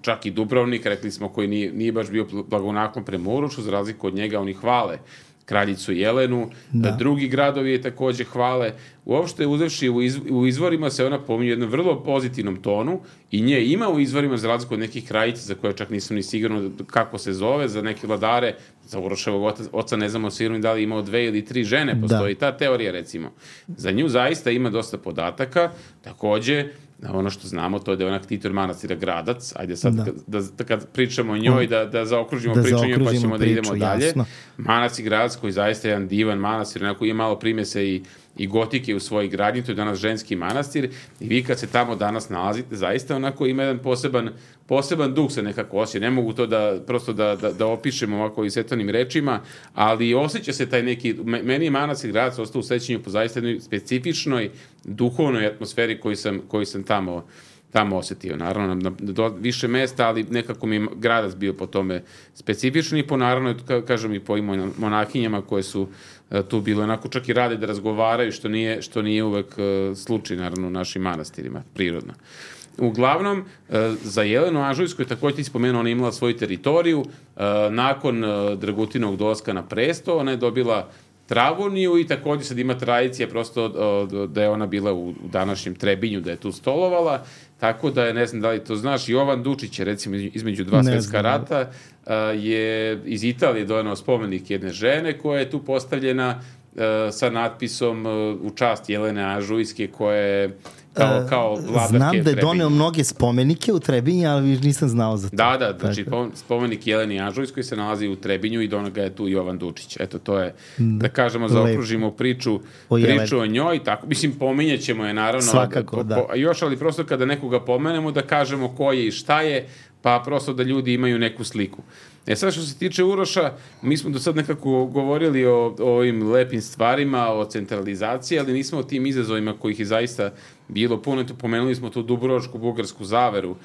čak i Dubrovnik, rekli smo, koji nije, nije baš bio blagonaklon prema Urošu, za razliku od njega oni hvale kraljicu Jelenu, da. drugi gradovi je takođe hvale. Uopšte, uzevši u, iz, u izvorima se ona pominje u jednom vrlo pozitivnom tonu i nje ima u izvorima, za razliku od nekih kraljica za koje čak nisam ni sigurno kako se zove, za neke vladare, za Uroševog oca, oca ne znamo sigurno da li imao dve ili tri žene, postoji da. ta teorija, recimo. Za nju zaista ima dosta podataka, takođe, ono što znamo, to je da je ona ktitor manastira Gradac. Ajde sad, da. Da, da, kad pričamo o njoj, da, da zaokružimo da priču o njoj, pa ćemo priču, da idemo dalje. Jasno. Manastir Gradac, koji zaista je jedan divan manastir, onako ima malo primese i i gotike u svojoj gradnji, to je danas ženski manastir, i vi kad se tamo danas nalazite, zaista onako ima jedan poseban, poseban duh se nekako osjeća. Ne mogu to da, prosto da, da, da opišem ovako isetanim rečima, ali osjeća se taj neki, meni je manastir Gradac ostao u sećanju po zaista jednoj specifičnoj duhovnoj atmosferi koju sam, koju sam tamo tamo osetio. Naravno, na, na više mesta, ali nekako mi je Gradac bio po tome specifični i po, naravno, kažem i po i monahinjama koje su uh, tu bile, onako čak i rade da razgovaraju, što nije, što nije uvek uh, slučaj, naravno, u našim manastirima, prirodno. Uglavnom, uh, za Jelenu Anžujsku je takođe ti spomenuo, ona imala svoju teritoriju, uh, nakon uh, Dragutinovog dolaska na presto, ona je dobila Travoniju i takođe sad ima tradicija prosto uh, da je ona bila u, u današnjem Trebinju, da je tu stolovala. Tako da je, ne znam da li to znaš, Jovan Dučić je recimo između dva svetska rata uh, je iz Italije doneo spomenik jedne žene koja je tu postavljena uh, sa natpisom uh, u čast Jelene Anžujske koja je kao, kao vladarke Znam da je Trebinja. Doneo mnoge spomenike u Trebinju, ali nisam znao za to. Da, da, znači tako. Spomenik Jeleni Anžujskoj se nalazi u Trebinju i doneo ga je tu Jovan Dučić. Eto, to je, da kažemo, zaokružimo priču o, priču o njoj. Tako, mislim, pominjet ćemo je, naravno. Svakako, po, da. Po, još, ali prosto kada nekoga pomenemo, da kažemo ko je i šta je, pa prosto da ljudi imaju neku sliku. E sad, što se tiče Uroša, mi smo do sad nekako govorili o, o ovim lepim stvarima, o centralizaciji, ali nismo o tim izazovima kojih je zaista bilo puno. Eto, pomenuli smo tu Dubrovačku bugarsku zaveru,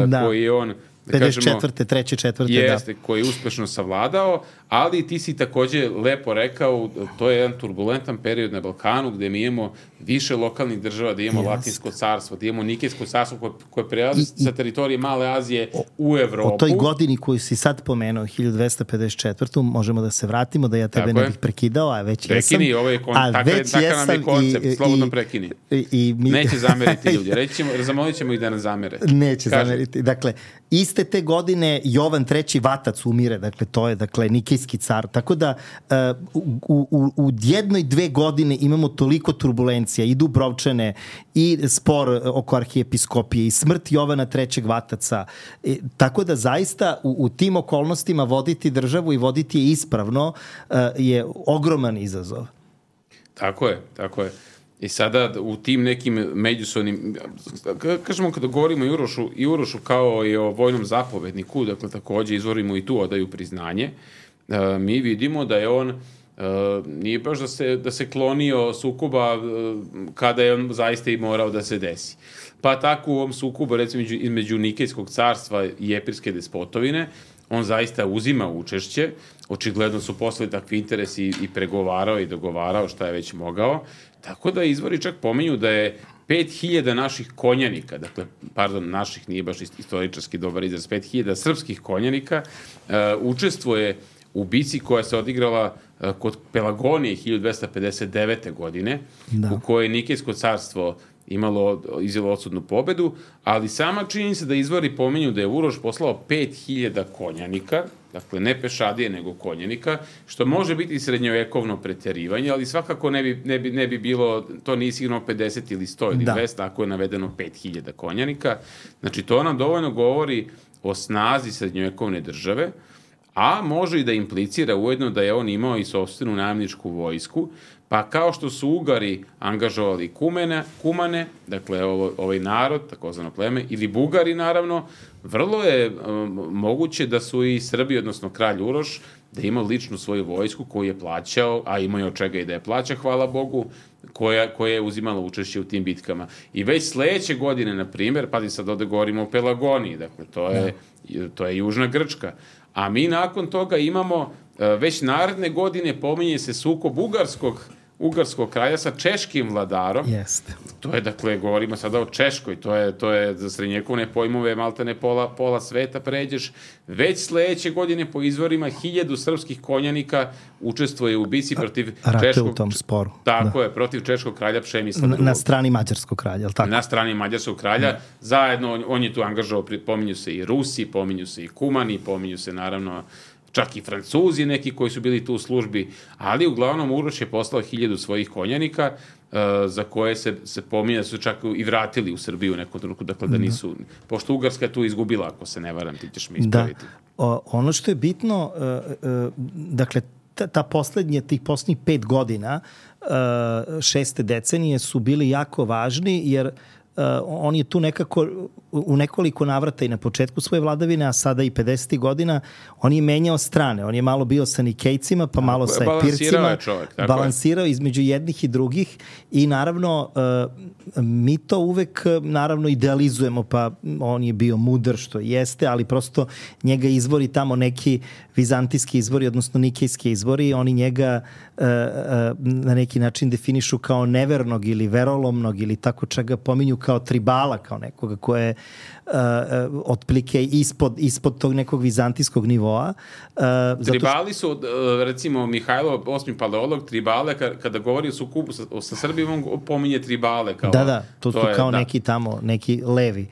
da. Koji je on, da pedeset četvrte, treće, četvrte, jeste, da. koji je uspešno savladao, ali ti si takođe lepo rekao, to je jedan turbulentan period na Balkanu gde mi imamo više lokalnih država, da imamo yes. Latinsko carstvo, da imamo Nikejsko carstvo koje, koje prelazi sa teritorije Male Azije o, u Evropu. O toj godini koju si sad pomenuo, hiljadu dvesta pedeset četvrtu možemo da se vratimo, da ja tebe tako ne bih prekidao, a već prekini, jesam. Ovo je kon, a takav, već takav nam je koncept, i, slobodno prekini. I, i mi... Neće zameriti ljudi, reći ćemo, zamolit ćemo ih da ne zamere. Neće Kaži. zameriti. Dakle, iste te godine Jovan treći Vatac umire, dakle to je dakle Nikejski car, tako da uh, u, u, u jednoj dve godine imamo toliko turbulencija i Dubrovčane i spor oko arhijepiskopije i smrt Jovana trećeg Vataca, e, tako da zaista u, u tim okolnostima voditi državu i voditi je ispravno uh, je ogroman izazov. Tako je, tako je. I sada u tim nekim međusobnim, kažemo kada govorimo i Urošu, i Urošu kao i o vojnom zapovedniku, dakle takođe izvorimo i tu odaju priznanje, e, mi vidimo da je on, e, nije baš da se, da se klonio sukoba e, kada je on zaista i morao da se desi. Pa tako u ovom sukobu, recimo između Nikejskog carstva i Epirske despotovine, on zaista uzima učešće, očigledno su posle takvi interesi i pregovarao i dogovarao šta je već mogao, tako da izvori čak pominju da je pet hiljada naših konjanika, dakle, pardon, naših nije baš istoričarski dobar izraz, pet hiljada srpskih konjanika uh, učestvuje u bici koja se odigrala uh, kod Pelagonije hiljadu dvesta pedeset devete. godine, da. U kojoj je Nikejsko carstvo imalo, izjelo odsudnu pobedu, ali sama činjenica da izvori pominju da je Uroš poslao pet hiljada konjanika, dakle ne pešadije nego konjanika, što može biti srednjovekovno preterivanje, ali svakako ne bi, ne bi, ne bi bilo, to nije sigurno pedeset ili sto ili dvesta, ako je navedeno pet hiljada konjanika. Znači to nam dovoljno govori o snazi srednjovekovne države, a može i da implicira ujedno da je on imao i sopstvenu najamničku vojsku, pa kao što su Ugari angažovali kumene, kumane, dakle ovo, ovaj narod, takozvano pleme, ili Bugari naravno, vrlo je um, moguće da su i Srbi, odnosno kralj Uroš, da ima ličnu svoju vojsku koju je plaćao, a imao je od čega i da je plaća, hvala Bogu, koja, koja je uzimala učešće u tim bitkama. I već sledeće godine, na primjer, pa sad ovde govorimo o Pelagoniji, dakle to je, ja. to je Južna Grčka, a mi nakon toga imamo, već naredne godine pominje se sukob Ugarskog, Ugarskog kralja sa češkim vladarom. Jeste. To je, dakle, govorimo sada o Češkoj, to je, to je za srednjekovne pojmove maltene pola, pola sveta pređeš. Već sledeće godine po izvorima hiljadu srpskih konjanika učestvuje u bici protiv Rate češkog... u tom sporu. Tako da. je, protiv češkog kralja Pšemislava na, na strani mađarskog kralja, je li tako? Na strani mađarskog kralja. Da. Zajedno, on, on je tu angažovao, pominju se i Rusi, pominju se i Kumani, pominju se naravno čak i Francuzi neki koji su bili tu u službi, ali uglavnom Uroš je poslao hiljadu svojih konjanika uh, za koje se, se pominja da su čak i vratili u Srbiju u nekom trenutku, dakle da nisu, da. Pošto Ugarska je tu izgubila, ako se ne varam, ti ćeš mi ispraviti. Da. O, ono što je bitno, uh, uh, dakle, ta, ta poslednje, tih poslednjih pet godina, šeste decenije su bili jako važni, jer Uh, on je tu nekako u nekoliko navrata i na početku svoje vladavine, a sada i pedesetih godina, on je menjao strane. On je malo bio sa Nikejcima, pa malo sa Epircima. Čovjek, balansirao je između jednih i drugih i naravno uh, mi to uvek naravno idealizujemo, pa on je bio mudar što jeste, ali prosto njega izvori tamo neki vizantijski izvori, odnosno nikejski izvori, oni njega uh, uh, na neki način definišu kao nevernog ili verolomnog ili tako čega pominju kao tribala, kao nekoga ko je uh, uh, otplike ispod, ispod tog nekog vizantijskog nivoa. Uh, Tribali su, uh, recimo, Mihajlo, osmi paleolog, tribale, kada govori o sukupu sa, sa Srbijom, on pominje tribale. Kao, da, da, to, to su je, kao da. neki tamo, neki levi.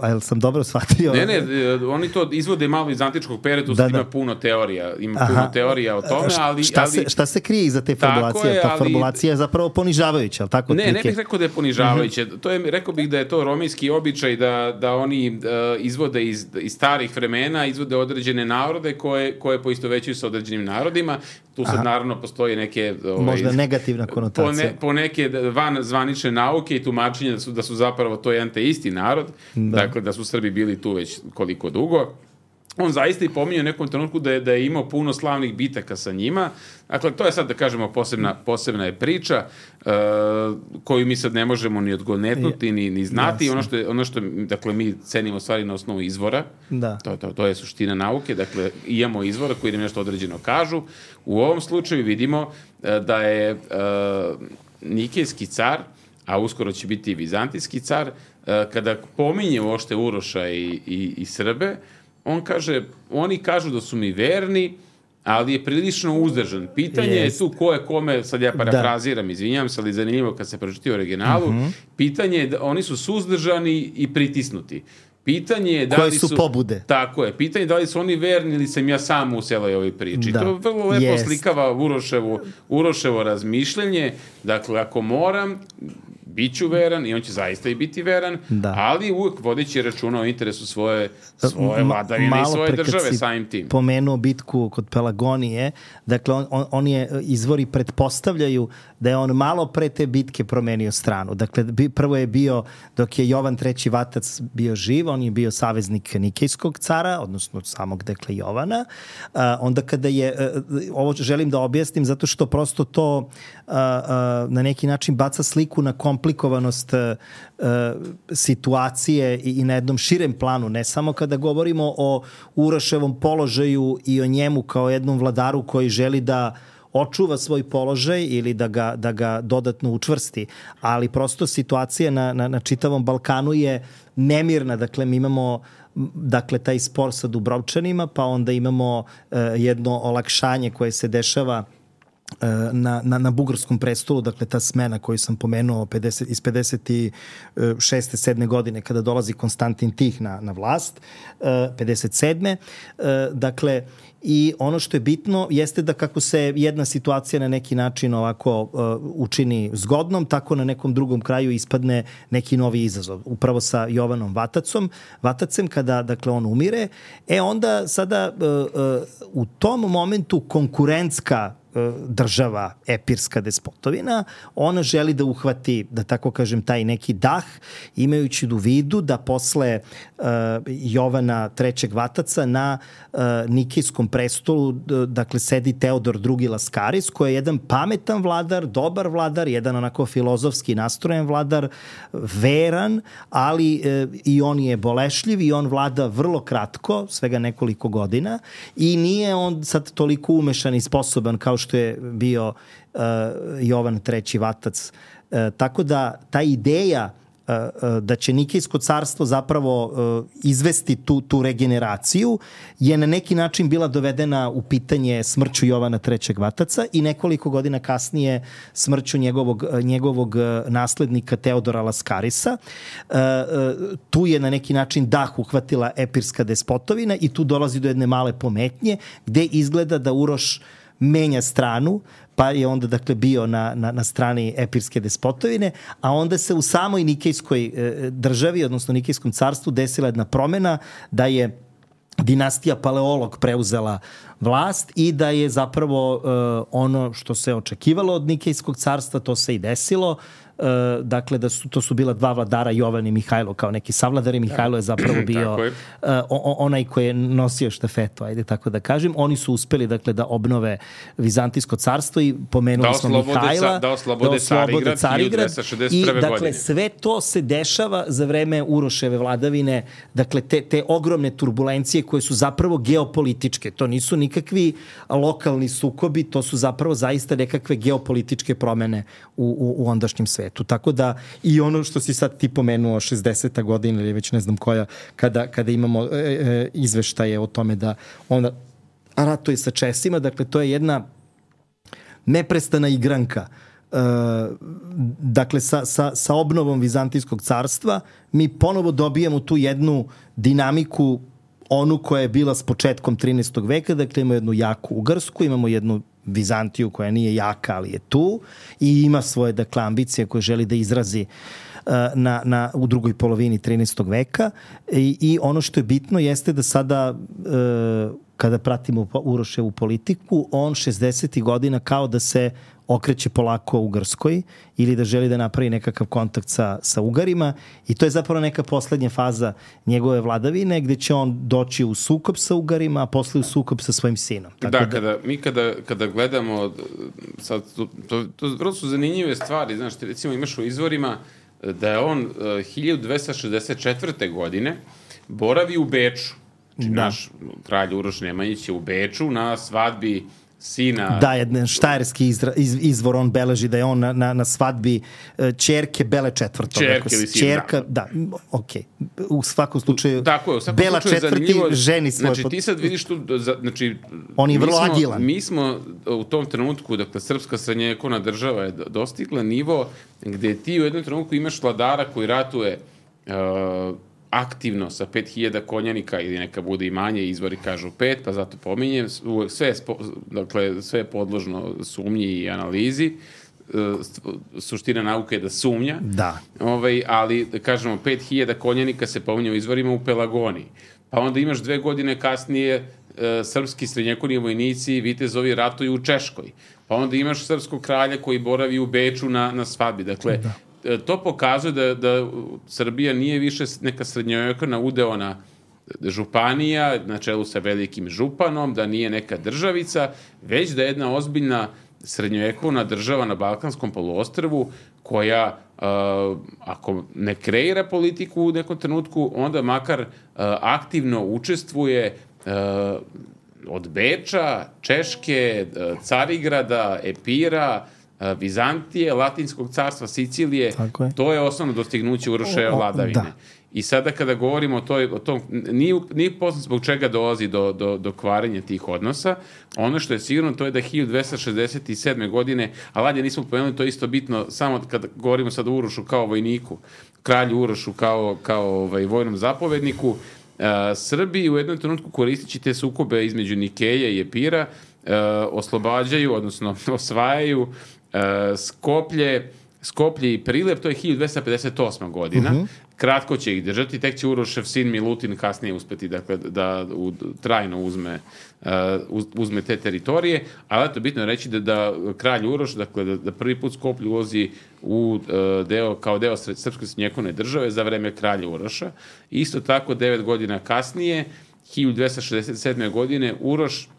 A jel sam dobro shvatio? Ne, ne, oni to izvode malo iz antičkog perioda, da, ima da. puno teorija, ima Aha. puno teorija o tome, ali... Šta, ali, se, šta se krije iza te formulacije? Je, Ta ali, formulacija je zapravo ponižavajuća, ali tako? Ne, ne bih rekao da je ponižavajuće. Uh-huh. To je, rekao bih da je to romijski običaj da, da oni uh, izvode iz, iz starih vremena, izvode određene narode koje, koje poistovećuju sa određenim narodima. Tu sad Aha. naravno postoje neke... Ovaj, možda negativna konotacija. Po, ne, po neke van zvanične nauke i tumačenja da su, da su zapravo to jedan te isti narod, da. Dakle da su Srbi bili tu već koliko dugo. On zaista i pominje u nekom trenutku da je, da je imao puno slavnih bitaka sa njima. Dakle, to je sad, da kažemo, posebna, posebna je priča uh, koju mi sad ne možemo ni odgonetnuti, ni, ni znati. Ono što, je, ono što dakle, mi cenimo stvari na osnovu izvora. Da. To, to, to je suština nauke. Dakle, imamo izvora koji nam nešto određeno kažu. U ovom slučaju vidimo uh, da je uh, Nikejski car, a uskoro će biti i Vizantijski car, uh, kada pominje uopšte Uroša i, i, i Srbe, on kaže, oni kažu da su mi verni, ali je prilično uzdržan. Pitanje yes. je tu ko je kome, sad ja parafraziram, da. izvinjam se, ali zanimljivo kad se pročiti u originalu, uh-huh. pitanje je da oni su suzdržani i pritisnuti. Pitanje je da koje li su, su pobude. Tako je. Pitanje je da li su oni verni ili sam ja sam u celoj ovoj priči. Da. To vrlo lepo yes. slikava Uroševo, Uroševo razmišljanje. Dakle, ako moram, bit ću veran i on će zaista i biti veran, da. Ali uvijek vodeći računa o interesu svoje, svoje vladavine i svoje države samim tim. Pomenuo bitku kod Pelagonije, dakle on, on, on je, izvori pretpostavljaju da je on malo pre te bitke promenio stranu. Dakle, prvo je bio, dok je Jovan treći Vatac bio živ, on je bio saveznik Nikejskog cara, odnosno samog, dakle, Jovana. Uh, onda kada je, uh, ovo želim da objasnim, zato što prosto to uh, uh, na neki način baca sliku na komplikovanost uh, situacije i, i na jednom širem planu, ne samo kada govorimo o Uroševom položaju i o njemu kao jednom vladaru koji želi da očuva svoj položaj ili da ga, da ga dodatno učvrsti, ali prosto situacija na, na, na čitavom Balkanu je nemirna. Dakle, mi imamo dakle, taj spor sa Dubrovčanima, pa onda imamo uh, jedno olakšanje koje se dešava Na, na, na bugarskom prestolu, dakle ta smena koju sam pomenuo pedeset, iz pedeset šeste sedme godine kada dolazi Konstantin Tih na, na vlast, pedeset sedme Dakle, i ono što je bitno jeste da kako se jedna situacija na neki način ovako uh, učini zgodnom, tako na nekom drugom kraju ispadne neki novi izazov. Upravo sa Jovanom Vatacom, Vatacem, kada dakle on umire, e onda sada uh, uh, u tom momentu konkurentska država, epirska despotovina, ona želi da uhvati, da tako kažem, taj neki dah, imajući u vidu da posle uh, Jovana trećeg Vataca na uh, Nikejskom prestolu, dakle, sedi Teodor drugi Laskaris, koji je jedan pametan vladar, dobar vladar, jedan onako filozofski nastrojen vladar, veran, ali uh, i on je bolešljiv i on vlada vrlo kratko, svega nekoliko godina, i nije on sad toliko umešan i sposoban kao što je bio uh, Jovan treći Vatac. Uh, tako da ta ideja uh, uh, da će Nikejsko carstvo zapravo uh, izvesti tu, tu regeneraciju je na neki način bila dovedena u pitanje smrću Jovana trećeg Vataca i nekoliko godina kasnije smrću njegovog, njegovog naslednika Teodora Laskarisa. Uh, uh, tu je na neki način dah uhvatila epirska despotovina i tu dolazi do jedne male pometnje gde izgleda da Uroš menja stranu, pa je onda dakle bio na, na, na strani epirske despotovine, a onda se u samoj Nikejskoj e, državi, odnosno Nikejskom carstvu, desila jedna promena da je dinastija Paleolog preuzela vlast i da je zapravo uh, ono što se očekivalo od Nikejskog carstva, to se i desilo. Uh, dakle, da su, to su bila dva vladara, Jovan i Mihajlo, kao neki savladari. Mihajlo je zapravo bio je. Uh, onaj koji je nosio štafetu, ajde tako da kažem. Oni su uspeli, dakle, da obnove Vizantijsko carstvo i pomenuli da smo Mihajla. Da oslobode Carigrad, hiljadu dvesta šezdeset prve. I, dakle, godine. sve to se dešava za vreme Uroševe vladavine. Dakle, te, te ogromne turbulencije koje su zapravo geopolitičke. To nisu nikakvi lokalni sukobi, to su zapravo zaista nekakve geopolitičke promene u, u, u ondašnjem svetu. Tako da i ono što si sad ti pomenuo šezdeseta godina ili već ne znam koja, kada, kada imamo e, e, izveštaje o tome da ona ratuje sa Česima, dakle to je jedna neprestana igranka. E, dakle sa, sa, sa obnovom Vizantijskog carstva mi ponovo dobijamo tu jednu dinamiku, onu koja je bila s početkom trinaestog veka, dakle imamo jednu jaku Ugarsku, imamo jednu Vizantiju koja nije jaka, ali je tu i ima svoje, dakle, ambicije koje želi da izrazi uh, na, na, u drugoj polovini trinaestog veka i, i ono što je bitno jeste da sada uh, kada pratimo Uroševu politiku, on šezdesetih godina kao da se okreće polako Ugarskoj ili da želi da napravi nekakav kontakt sa, sa Ugarima i to je zapravo neka poslednja faza njegove vladavine gde će on doći u sukob sa Ugarima, a posle u sukob sa svojim sinom. Tako da, da, kada, mi kada, kada gledamo, sad, to, to, to vrlo su zanimljive stvari, znaš, ti recimo imaš u izvorima da je on uh, hiljadu dvesta šezdeset četvrte. godine boravi u Beču. Znači, da. Naš kralj Uroš Nemanjić je u Beču na svadbi sina... Da, jedan štajerski izra, iz, izvor on beleži da je on na, na, na svadbi ćerke Bele četvrtog. Ćerke ili sin, Čerka, da, da okej. Okay. U svakom slučaju, tako je, u svakom Bela slučaju četvrti ženi svoje... Znači, ti sad vidiš tu... Znači, on je vrlo smo, agilan. Mi smo u tom trenutku, dakle, srpska srednjevekovna država je dostigla nivo gde ti u jednom trenutku imaš vladara koji ratuje uh, aktivno sa pet hiljada konjanika ili neka bude i manje, izvori kažu pet, pa zato pominjem, sve je, spo, dakle, sve je podložno sumnji i analizi, suština nauke je da sumnja, da. Ovaj, ali kažemo pet hiljada konjanika se pominje u izvorima u Pelagoniji, pa onda imaš dve godine kasnije e, srpski srednjekovni vojnici vitezovi ratuju u Češkoj, pa onda imaš srpskog kralja koji boravi u Beču na, na svadbi, dakle, da. To pokazuje da, da Srbija nije više neka srednjovekovna udeona županija na čelu sa velikim županom, da nije neka državica, već da je jedna ozbiljna srednjovekovna država na Balkanskom poluostrvu koja, uh, ako ne kreira politiku u nekom trenutku, onda makar uh, aktivno učestvuje uh, od Beča, Češke, uh, Carigrada, Epira, Vizantije, Latinskog carstva, Sicilije, je. To je osnovno dostignuće Uroševe vladavine. Da. I sada kada govorimo o, toj, o tom, nije, nije poznat zbog čega dolazi do, do, do kvarenja tih odnosa, ono što je sigurno to je da hiljadu dvesta šezdeset sedme. godine, a Ladje nismo pomenuli, to je isto bitno, samo kada govorimo sad o Urošu kao vojniku, kralju Urošu kao, kao ovaj, vojnom zapovedniku, uh, Srbi u jednom trenutku koristići te sukobe između Nikeje i Epira, uh, oslobađaju, odnosno osvajaju Uh, Skoplje, Skoplje i Prilep, to je hiljadu dvesta pedeset osma. godina. Uh-huh. Kratko će ih držati, tek će Urošev sin Milutin kasnije uspeti dakle, da u, trajno uzme, uh, uzme te teritorije, ali eto, bitno je reći da, da kralj Uroš, dakle, da, da prvi put Skoplje ulazi u uh, deo, kao deo srpske srednjevekovne države za vreme kralja Uroša. Isto tako, devet godina kasnije, hiljadu dvesta šezdeset sedme. godine, Uroš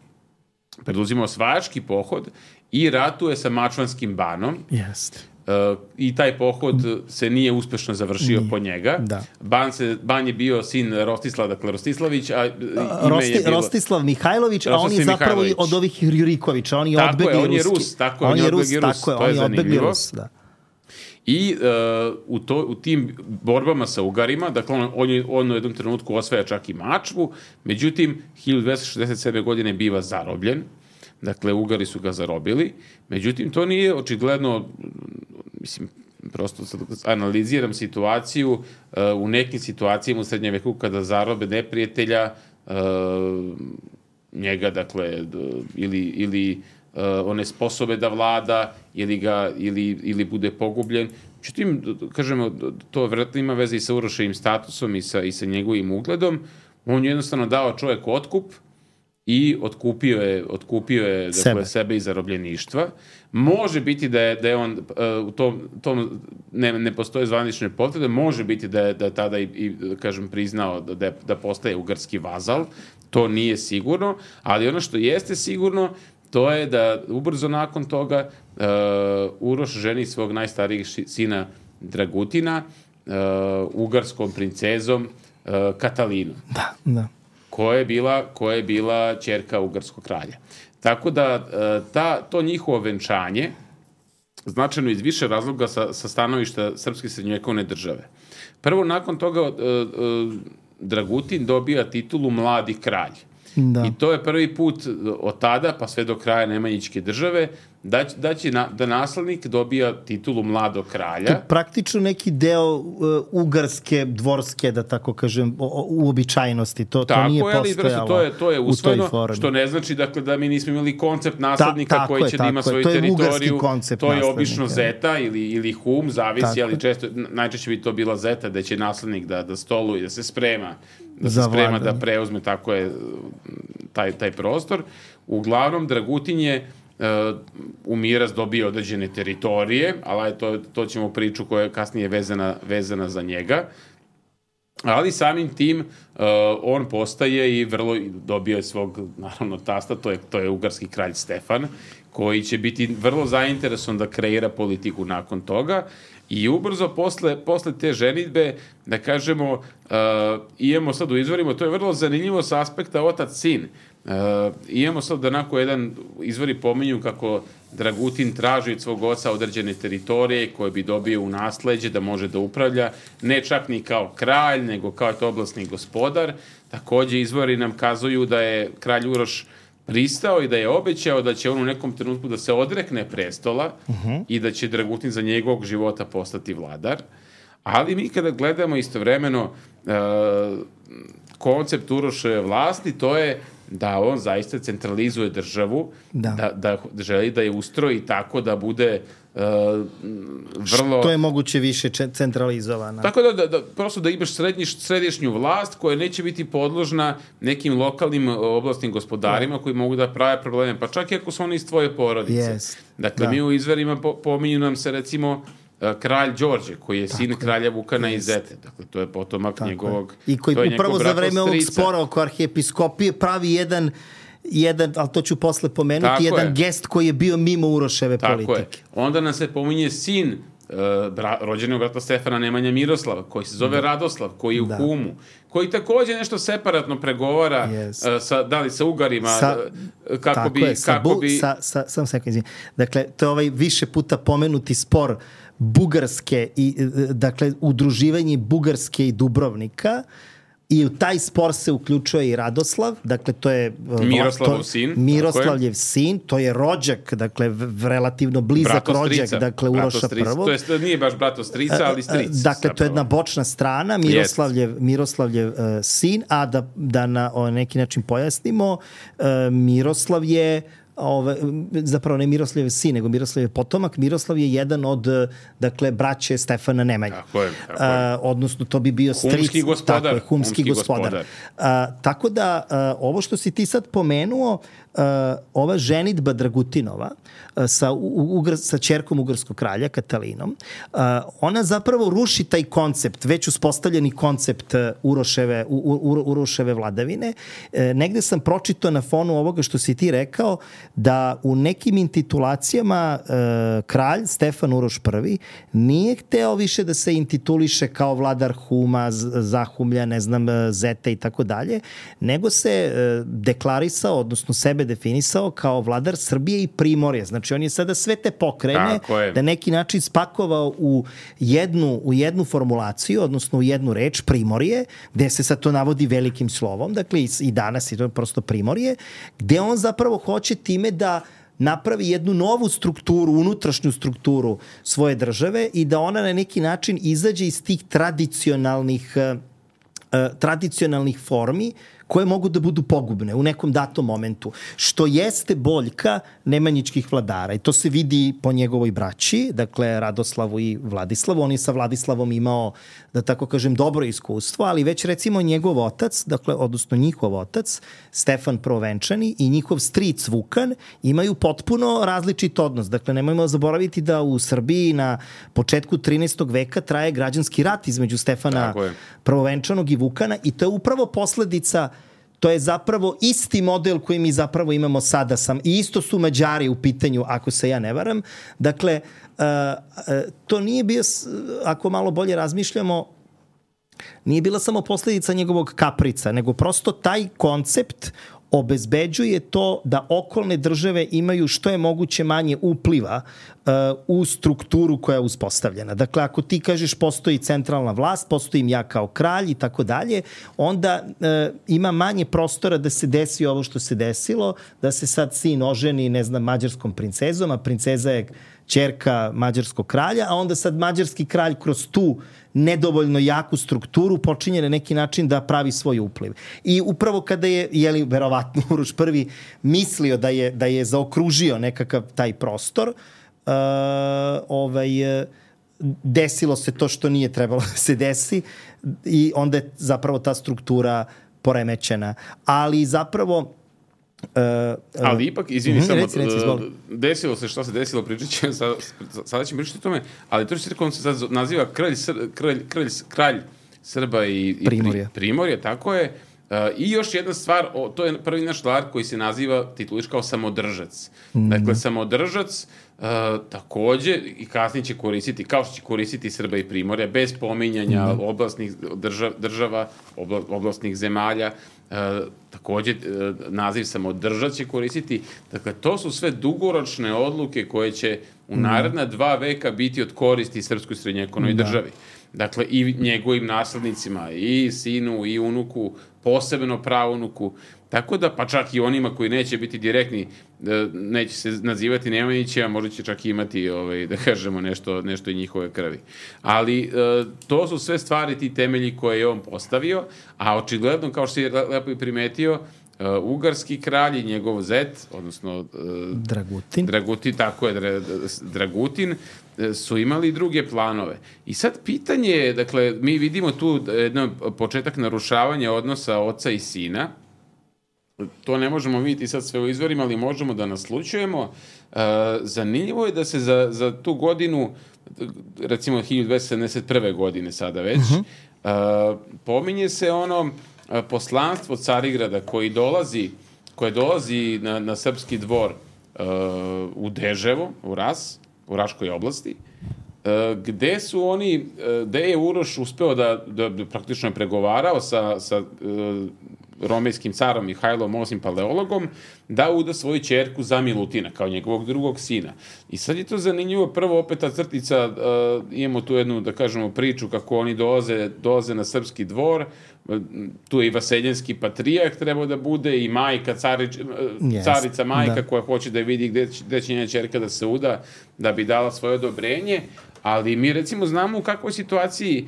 preduzima osvajački pohod i ratuje sa Mačvanskim banom. Jeste. Uh, I taj pohod se nije uspešno završio nije. po njega. Da. Ban, se, Ban je bio sin Rostislav, dakle Rostislavić, a ime Rosti, je bilo... Rostislav Mihajlović, a on je zapravo Mihajlović. od ovih Jurikovića, on je tako odbegli je, on je ruski. Rus, tako je, on je Rus, Rus, tako je, to on je je odbegli Rus, da. I uh, u, to, u tim borbama sa Ugarima, dakle on, on, je, on u jednom trenutku osvaja čak i Mačvu, međutim, hiljadu dvesta šezdeset sedme. godine biva zarobljen. Dakle, Ugari su ga zarobili. Međutim, to nije očigledno, mislim, prosto sad analiziram situaciju, uh, u nekim situacijama u srednjem veku kada zarobe neprijatelja, uh, njega, dakle, ili, ili uh, one sposobe da vlada, ili, ga, ili, ili bude pogubljen. Međutim, kažemo, to vjerojatno ima veze i sa Uroševim statusom i sa, i sa njegovim ugledom. On je jednostavno dao čovjek otkup i otkupio je, otkupio je dakle, sebe. sebe iz zarobljeništva. Može biti da je, da je on u tom, tom ne, ne postoje zvanične potvrde, može biti da je, da je tada i, i kažem, priznao da, je, da postaje ugarski vazal, to nije sigurno, ali ono što jeste sigurno, to je da ubrzo nakon toga uh, Uroš ženi svog najstarijeg sina Dragutina uh, ugarskom princezom uh, Katalinom. Da, da. Koja je bila, koja je bila ćerka ugarskog kralja. Tako da ta, to njihovo venčanje značajno iz više razloga sa, sa stanovišta srpske srednjovekovne države. Prvo, nakon toga uh, uh, Dragutin dobija titulu mladi kralj. Da. I to je prvi put od tada, pa sve do kraja Nemanjićke države, da, da će na, da naslednik dobija titulu mladog kralja. To je praktično neki deo uh, ugarske, dvorske, da tako kažem, uobičajenosti. To, to nije postojalo to je, to je usvojeno, što ne znači dakle, da mi nismo imali koncept naslednika Ta, koji će da ima svoju to teritoriju. To je naslednika. Obično zeta ili, ili hum, zavisi, tako. Ali često, najčešće bi to bila zeta, da će naslednik da, da stoluje, da se sprema, da se sprema da preuzme, tako je taj, taj prostor. Uglavnom, Dragutin je Uh, u miraz dobio određene teritorije, ali to, to ćemo priču koja je kasnije vezana, vezana za njega. Ali samim tim uh, on postaje i vrlo dobio je svog, naravno, tasta, to je, to je ugarski kralj Stefan, koji će biti vrlo zainteresovan da kreira politiku nakon toga. I ubrzo posle, posle te ženidbe, da kažemo, uh, imamo sad u izvorima, to je vrlo zanimljivo sa aspekta otac-sin. Uh, imamo sad da onako jedan izvori pominju kako Dragutin traži od svog oca određene teritorije koje bi dobio u nasleđe da može da upravlja, ne čak ni kao kralj, nego kao to oblasni gospodar. Takođe izvori nam kazuju da je kralj Uroš pristao i da je obećao da će on u nekom trenutku da se odrekne prestola uh-huh. i da će Dragutin za njegovog života postati vladar. Ali mi kada gledamo istovremeno uh, koncept Uroševe vlasti, to je da on zaista centralizuje državu, da, da, da želi da je ustroji tako da bude uh, vrlo... Što je moguće više centralizovana. Tako da, da, da prosto da imaš srednji, središnju vlast koja neće biti podložna nekim lokalnim oblastnim gospodarima koji mogu da prave probleme, pa čak i ako su oni iz tvoje porodice. Yes. Dakle, da. Mi u izverima po, pominju nam se recimo kralj Đorđe, koji je sin tako kralja Vukana iz Zete. Dakle, to je potomak tako njegovog... I koji upravo za vreme ovog spora oko arhijepiskopije pravi jedan, jedan, ali to ću posle pomenuti, tako jedan je. Gest koji je bio mimo Uroševe tako politike. Je. Onda nam se pominje sin uh, bra, rođenog brata Stefana Nemanja Miroslava, koji se zove da. Radoslav, koji je u da. Humu, koji takođe nešto separatno pregovara yes. uh, sa, da li sa Ugarima, sa, uh, kako bi... Je, sa, kako bu, bi... sa, sa, sam sekund, izvijem. Dakle, to je ovaj više puta pomenuti spor Bugarske i, dakle, udruživanje Bugarske i Dubrovnika, i u taj spor se uključuje i Radoslav, dakle to je Miroslavov sin, Miroslavljev sin, to je rođak, dakle v, relativno blizak rođak, dakle Uroša prvog. To je nije baš brato strica, ali stric. Dakle, zapravo. To je jedna bočna strana, Miroslavljev, Miroslavljev uh, sin, a da, da na o, neki način pojasnimo, uh, Miroslav je Ove, zapravo ne Miroslav je sin, nego Miroslav je potomak. Miroslav je jedan od, dakle, braće Stefana Nemanje. Tako je, tako je. Uh, odnosno, to bi bio stric. Humski gospodar. Tako je, humski, humski gospodar. gospodar. Uh, tako da, uh, ovo što si ti sad pomenuo, uh, ova ženidba Dragutinova uh, sa, u, ugr, sa ćerkom ugarskog kralja, Katalinom, uh, ona zapravo ruši taj koncept, već uspostavljeni koncept Uroševe, u, u, Uroševe vladavine. Uh, negde sam pročitao na fonu ovoga što si ti rekao, da u nekim intitulacijama e, kralj Stefan Uroš prvi nije hteo više da se intituliše kao vladar Huma, Zahumlja, ne znam, Zete i tako dalje, nego se e, deklarisao, odnosno sebe definisao kao vladar Srbije i Primorje. Znači on je sada sve te pokrene da neki način spakovao u jednu, u jednu formulaciju, odnosno u jednu reč, Primorje, gde se sad to navodi velikim slovom, dakle i, i danas je to prosto Primorje, gde on zapravo hoće time da napravi jednu novu strukturu, unutrašnju strukturu svoje države i da ona na neki način izađe iz tih tradicionalnih, uh, tradicionalnih formi koje mogu da budu pogubne u nekom datom momentu, što jeste boljka nemanjičkih vladara. I to se vidi po njegovoj braći, dakle Radoslavu i Vladislavu. On je sa Vladislavom imao, da tako kažem, dobro iskustvo, ali već recimo njegov otac, dakle, odnosno njihov otac, Stefan Prvovenčani i njihov stric Vukan imaju potpuno različit odnos. Dakle, nemojmo zaboraviti da u Srbiji na početku trinaestog veka traje građanski rat između Stefana Prvovenčanog i Vukana i to je upravo posledica, to je zapravo isti model koji mi zapravo imamo sada sam, i isto su Mađari u pitanju, ako se ja ne varam. Dakle, uh, uh, to nije bio, ako malo bolje razmišljamo, nije bila samo posledica njegovog kaprica, nego prosto taj koncept obezbeđuje to da okolne države imaju što je moguće manje upliva uh, u strukturu koja je uspostavljena. Dakle, ako ti kažeš postoji centralna vlast, postojim ja kao kralj i tako dalje, onda uh, ima manje prostora da se desi ovo što se desilo, da se sad sin oženi, ne znam, mađarskom princezom, a princeza je ćerka mađarskog kralja, a onda sad mađarski kralj kroz tu nedovoljno jaku strukturu počinje na neki način da pravi svoj upliv. I upravo kada je, jeli, verovatno Uroš prvi mislio da je, da je zaokružio nekakav taj prostor, uh, ovaj, desilo se to što nije trebalo da se desi i onda je zapravo ta struktura poremećena. Ali zapravo Uh, uh, ali ipak, izvini, uh, samo, reci, reci, desilo se što se desilo, pričat ćemo, sada, sada ćemo pričati o tome, ali to što se se sad naziva kralj, kralj, kralj, kralj Srba i, i Primorja. Primorja, tako je. Uh, I još jedna stvar, o, to je prvi naš vladar koji se naziva, tituliš kao samodržac. Mm. Dakle, samodržac uh, takođe i kasnije će koristiti, kao što će koristiti Srba i Primorja, bez pominjanja mm. oblastnih držav, država, obla, oblastnih zemalja, uh, takođe uh, naziv samodržac će koristiti. Dakle, to su sve dugoročne odluke koje će u naredna dva veka biti od koristi srpskoj srednjevekovnoj da. državi. Dakle, i njegovim naslednicima, i sinu, i unuku, posebno praunuku, tako da, pa čak i onima koji neće biti direktni, neće se nazivati Nemanjićima, možda će čak imati, ovaj, da kažemo, nešto, nešto i njihove krvi. Ali to su sve stvari, ti temelji koje je on postavio, a očigledno, kao što je lepo i primetio, Uh, ugarski kralj i njegov zet, odnosno uh, Dragutin. Dragutin, tako je, dra, Dragutin, uh, su imali druge planove. I sad pitanje je, dakle, mi vidimo tu jedan početak narušavanja odnosa oca i sina. To ne možemo vidjeti sad sve u izvorima, ali možemo da naslučujemo. Uh, zanimljivo je da se za, za tu godinu, recimo hiljadu dvesta sedamdeset prve godine sada već, uh-huh. uh, pominje se ono poslanstvo Carigrada koji dolazi, koje dolazi na, na srpski dvor uh, u Deževo, u Ras, u Raškoj oblasti, uh, gde su oni, uh, gde je Uroš uspeo da, da, da praktično je pregovarao sa, sa uh, romejskim carom Mihajlom osmim Paleologom da uda svoju ćerku za Milutina, kao njegovog drugog sina. I sad je to zanimljivo, prvo opet ta crtica, uh, imamo tu jednu, da kažemo, priču kako oni dolaze, dolaze na srpski dvor, tu je i vaseljenski patrijak trebao da bude i majka, carič, yes, carica majka da. Koja hoće da vidi gde, gde će njena ćerka da se uda, da bi dala svoje odobrenje, ali mi recimo znamo u kakvoj situaciji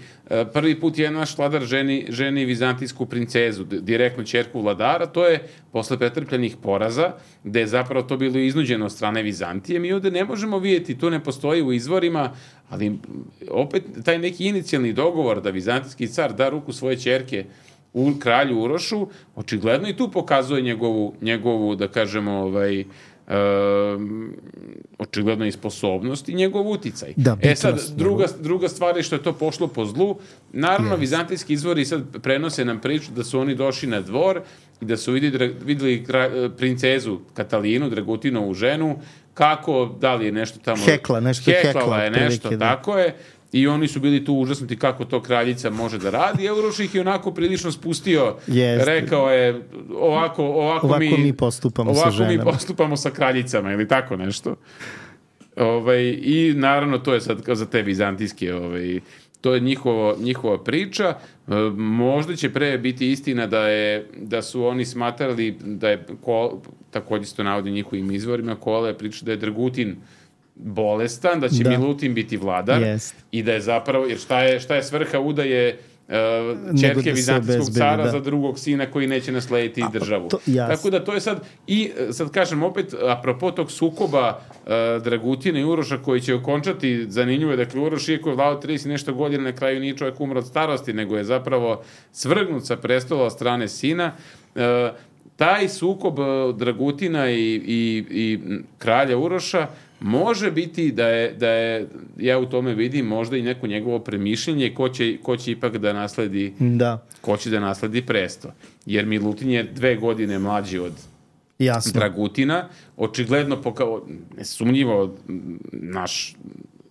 prvi put je naš vladar ženi, ženi vizantijsku princezu, direktno ćerku vladara, to je posle pretrpljenih poraza, gde je zapravo to bilo iznuđeno od strane Vizantije. Mi ovde ne možemo vidjeti, to ne postoji u izvorima, ali opet taj neki inicijalni dogovor da vizantijski car da ruku svoje ćerke u kralju Urošu, očigledno i tu pokazuje njegovu, njegovu da kažemo, ovaj, Um, očigledno i sposobnost i njegov uticaj. Da, e sad, druga, druga stvar je što je to pošlo po zlu. Naravno, yes. Vizantijski izvori sad prenose nam priču da su oni došli na dvor i da su vidjeli, vidjeli princezu Katalinu, Dragutinovu ženu, kako, da li je nešto tamo... Hekla, nešto Heklala hekla. je nešto, prilike, tako da. Je. I oni su bili tu užasnuti kako to kraljica može da radi. Uroš ih je onako prilično spustio. Jeste. Rekao je, ovako, ovako, ovako mi, mi postupamo ovako sa ženama. mi postupamo sa kraljicama ili tako nešto. Ovaj, I naravno to je sad za te vizantijske, ovaj, to je njihovo, njihova priča. Možda će pre biti istina da, je, da su oni smatrali da je, ko, također se to navodi njihovim izvorima, Kola je priča da je Dragutin bolestan, da će da. Milutin biti vladar yes. i da je zapravo, jer šta je, šta je svrha udaje uh, ćerke da vizantijskog cara da. za drugog sina koji neće naslediti a, državu. To, Tako da to je sad, i sad kažem opet, apropo tog sukoba uh, Dragutina i Uroša koji će okončati, zanimljivo je, dakle Uroš iako je vladao trideset nešto godina, na kraju nije čovjek umro od starosti, nego je zapravo svrgnut sa prestola od strane sina. Uh, taj sukob Dragutina i, i, i kralja Uroša može biti da je, da je, ja u tome vidim možda i neko njegovo premišljenje ko će, ko će ipak da nasledi da. ko će da nasledi presto. Jer Milutin je dve godine mlađi od Jasno. Dragutina, očigledno pokao, nesumnjivo naš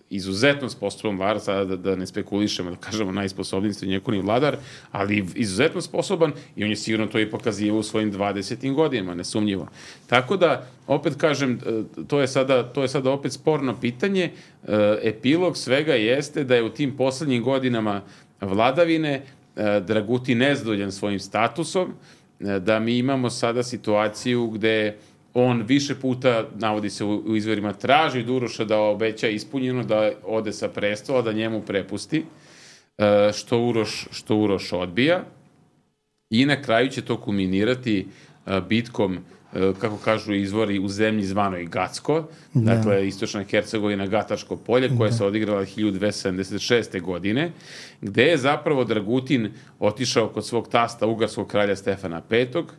izuzetno sposoban vladar, sada da, da ne spekulišemo, da kažemo najsposobniji srednjovekovni vladar, ali izuzetno sposoban i on je sigurno to i pokazivao u svojim dvadesetim godinama, nesumnjivo. Tako da, opet kažem, to je sada, to je sada opet sporno pitanje. Epilog svega jeste da je u tim poslednjim godinama vladavine Dragutin nezadovoljan svojim statusom, da mi imamo sada situaciju gde on više puta, navodi se u, u izvorima, traži od Uroša da obeća ispunjeno, da ode sa prestola, da njemu prepusti, što Uroš, što Uroš odbija. I na kraju će to kulminirati bitkom, kako kažu izvori, u zemlji zvanoj Gacko, da. Dakle, istočna Hercegovina, Gatačko polje, koje da. se odigrala hiljadu dvesta sedamdeset šeste. godine, gde je zapravo Dragutin otišao kod svog tasta, ugarskog kralja Stefana petog,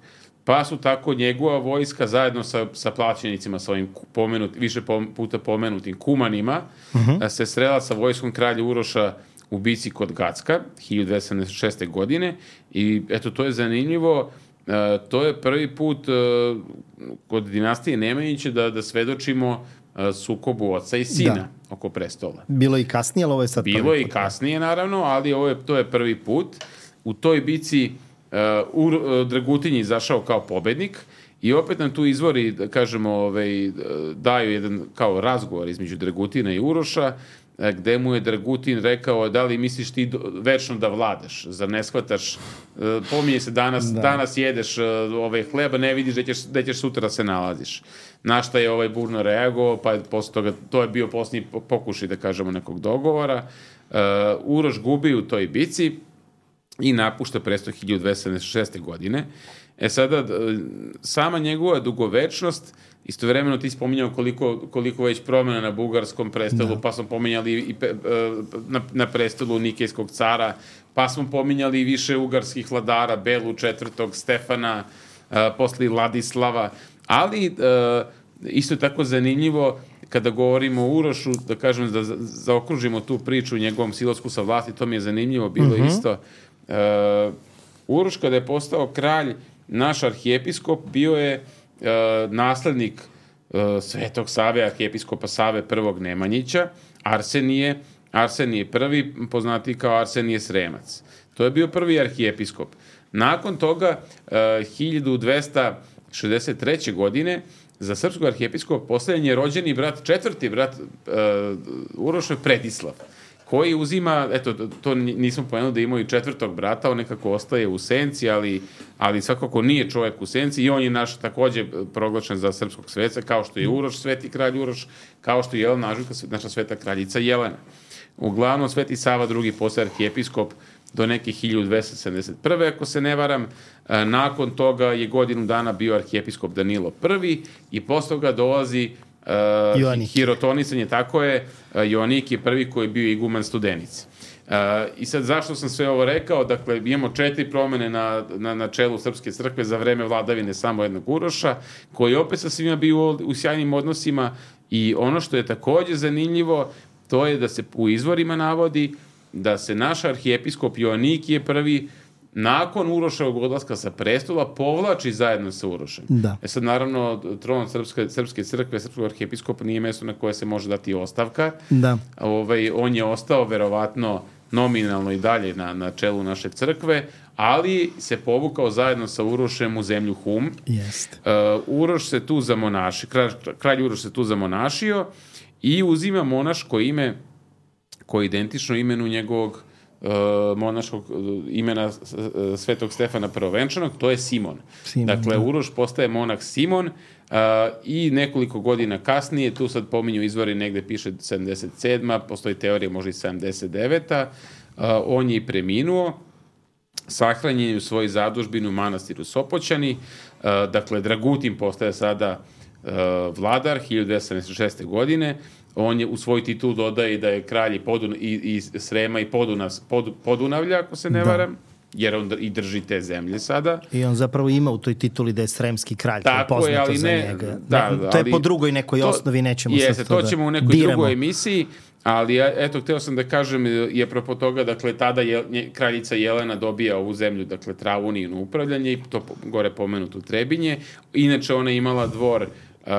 pa su tako njegova vojska zajedno sa, sa plaćenicima, sa ovim pomenut, više puta pomenutim kumanima, uh-huh. se srela sa vojskom kralja Uroša u bici kod Gacka, hiljadu dvesta sedamdeset šeste. godine, i eto, to je zanimljivo, uh, to je prvi put uh, kod dinastije Nemanjića da, da svedočimo uh, sukobu oca i sina da. oko prestola. Bilo i kasnije, ali ovo je sad Bilo prvi put. i kasnije, naravno, ali ovo je, to je prvi put. U toj bici Uh, uh, Dragutin je izašao kao pobednik i opet nam tu izvori, da kažemo, ovaj, daju jedan kao razgovor između Dragutina i Uroša, uh, gde mu je Dragutin rekao da li misliš ti do, večno da vladaš, zar ne shvataš, uh, pominje se danas, da. danas jedeš uh, ovaj hleba, ne vidiš da ćeš, da ćeš sutra se nalaziš. Na šta je ovaj burno reagovao, pa posle toga, to je bio posljednji pokušaj, da kažemo, nekog dogovora. Uh, Uroš gubi u toj bici i napušta presto hiljadu dvesta sedamdeset šeste. godine. E sada, sama njegova dugovečnost, istovremeno ti spominjao koliko, koliko već promjena na bugarskom prestolu, da. pa smo pominjali i pe, na, na prestolu Nikejskog cara, pa smo pominjali i više ugarskih vladara, Belu četvrtog, Stefana, posle Ladislava, ali isto je tako zanimljivo kada govorimo o Urošu, da kažem, da zaokružimo tu priču u njegovom silasku sa vlasti, to mi je zanimljivo bilo uh-huh. isto. Uh, Uroš kada je postao kralj, naš arhijepiskop bio je uh, naslednik uh, Svetog Save, arhijepiskopa Save prvog Nemanjića, Arsenije, Arsenije prvi, poznati kao Arsenije Sremac. To je bio prvi arhijepiskop. Nakon toga, uh, hiljadu dvesta šezdeset treće. godine, za srpskog arhijepiskopa posljednji je rođeni brat, četvrti brat uh, Uroša je Predislav, koji uzima, eto, to nismo pomenuli da imao i četvrtog brata, on nekako ostaje u senci, ali, ali svakako nije čovjek u senci i on je naš takođe proglašen za srpskog sveca, kao što je Uroš, sveti kralj Uroš, kao što je Jelena Anžujka, naša sveta kraljica Jelena. Uglavnom, Sveti Sava drugi postaje arhijepiskop do neke hiljadu dvesta sedamdeset prve. ako se ne varam. Nakon toga je godinu dana bio arhijepiskop Danilo prvi i posle toga dolazi Uh, hirotonisanje, tako je, uh, Joanik je prvi koji je bio iguman Studenice. Uh, I sad zašto sam sve ovo rekao? Dakle, imamo četiri promene na, na, na čelu Srpske crkve za vreme vladavine samo jednog Uroša, koji opet sa svima bio u, u sjajnim odnosima i ono što je takođe zanimljivo, to je da se u izvorima navodi da se naš arhijepiskop Joanik je prvi nakon Uroševog odlaska sa prestola povlači zajedno sa Urošem. Da. E sad, naravno, tron Srpske, Srpske crkve, Srpskog arhijepiskopa nije mesto na koje se može dati ostavka. Da. Ovaj, on je ostao verovatno nominalno i dalje na, na čelu naše crkve, ali se povukao zajedno sa Urošem u zemlju Hum. Jest. Uh, Uroš se tu zamonašio, kralj, kralj Uroš se tu zamonašio i uzima monaško ime koje je identično imenu njegovog Uh, monaškog uh, imena uh, Svetog Stefana Prvovenčanog, to je Simon. Simon dakle, da. Uroš postaje monah Simon uh, i nekoliko godina kasnije, tu sad pominju izvori, negde piše sedamdeset sedma. Postoji teorija možda i sedamdeset deveta. Uh, on je i preminuo sahranjen je u svojoj zadužbini u manastiru Sopoćani. Dakle, Dragutin postaje sada vladar hiljadu dvesta sedamdeset šeste. godine. On je u svoj titul dodaje da je kralj Podun, i, i Srema i Poduna, Pod, Podunavlja, ako se ne varam. Da. Jer on i drži te zemlje sada. I on zapravo ima u toj tituli da je sremski kralj. Tako je, ali ne... Da, ne to je po drugoj nekoj to, osnovi, nećemo jeste, sad to, to ćemo da u nekoj diremo. drugoj emisiji, ali eto, hteo sam da kažem, je apropo toga, dakle, tada je, kraljica Jelena dobija ovu zemlju, dakle, Travunijino upravljanje i to gore pomenuto Trebinje. Inače, ona je imala dvor uh,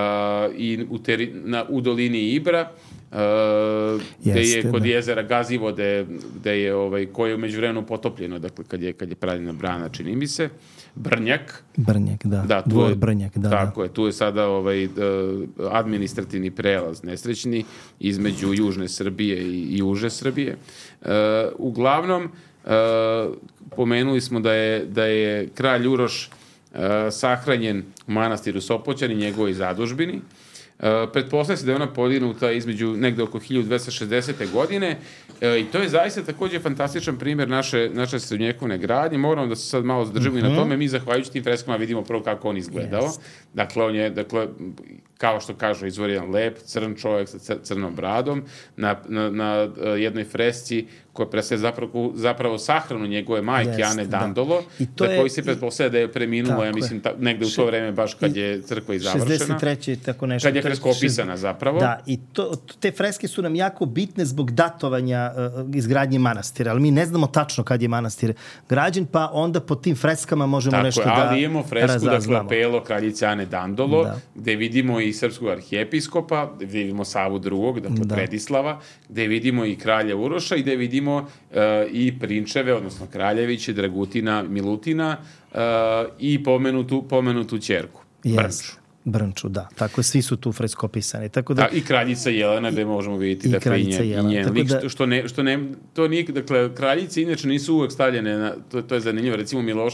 i u, teri, na, u dolini Ibra, Uh, gde je kod da. jezera Gazivode, gde je ovaj, koje je umeđu vremenu potopljeno, dakle kad je, kad je pravljena brana, čini mi se, Brnjak. Brnjak, da, da dvor je, Brnjak, da. Tako da. je, tu je sada ovaj, administrativni prelaz nesrećni između južne Srbije i, i juže Srbije. Uh, uglavnom, uh, pomenuli smo da je, da je kralj Uroš uh, sahranjen u manastiru Sopoćani, njegovoj zadužbini. Uh, pretpostavlja se da je ona podignuta između negde oko hiljadu dvesta šezdesete. godine uh, i to je zaista takođe fantastičan primjer naše, naše srednjekovne gradnje. Moramo da se sad malo zadržimo uh-huh. i na tome. Mi zahvaljujući tim freskama vidimo prvo kako on izgledao. Yes. Dakle, on je, dakle, kao što kažu, izvor jedan lep, crn čovjek sa crnom bradom. Na, na, na jednoj fresci koja predstavlja zapravo, zapravo sahranu njegove majke, yes, Ane Dandolo, da. za koju se pretpostavlja da je preminula, ja mislim, ta, negde u to vreme baš kad je crkva i završena. šezdeset treće tako nešto. Kad je freska opisana zapravo. Da, i to, te freske su nam jako bitne zbog datovanja uh, izgradnje manastira, ali mi ne znamo tačno kad je manastir građen, pa onda po tim freskama možemo tako nešto je, da razazvamo. Ali imamo fresku, dakle, apelo kraljice Ane Dandolo, da. gde vidimo i srpskog arhijepiskopa, gde vidimo Savu drugog, dakle da. Predislava, gde vidimo i kralja Uroša i gde vidimo uh, i prinčeve, odnosno kraljeviće, Dragutina, Milutina uh, i pomenutu, pomenutu ćerku, yes. Brnču. Brnču, da. Tako, svi su tu freskopisani. Tako da, da, i kraljica Jelena, gde možemo vidjeti i dakle, i njen, i njen lik, da, što ne, što ne, to nije, dakle, kraljice inače nisu uvek stavljene, na, to, to je zanimljivo, recimo Miloš,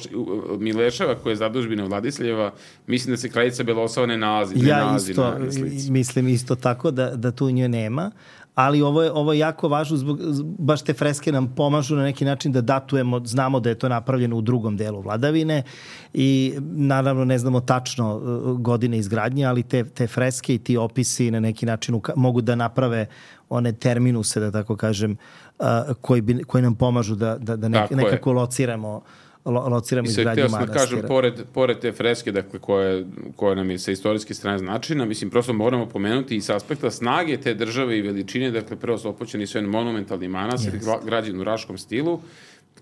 Mileševa, koja je zadužbina Vladislavljeva, mislim da se kraljica Belosava ne nalazi. Ne ja nalazi isto, na, na mislim isto tako da, da tu nje nema, ali ovo je, ovo je jako važno, zbog, baš te freske nam pomažu na neki način da datujemo, znamo da je to napravljeno u drugom delu vladavine i naravno ne znamo tačno godine izgradnje, ali te, te freske i ti opisi na neki način uka- mogu da naprave one terminuse, da tako kažem, uh, koji, bi, koji nam pomažu da, da, da nek, nekako je. lociramo lo, lociramo izgradnju manastira. Kažem, pored, pored te freske, dakle, koje, koje nam je sa istorijske strane značajna, mislim, prosto moramo pomenuti i s aspekta snage te države i veličine, dakle, prvo Sopoćani su jedan monumentalni manastir, yes. građen u raškom stilu,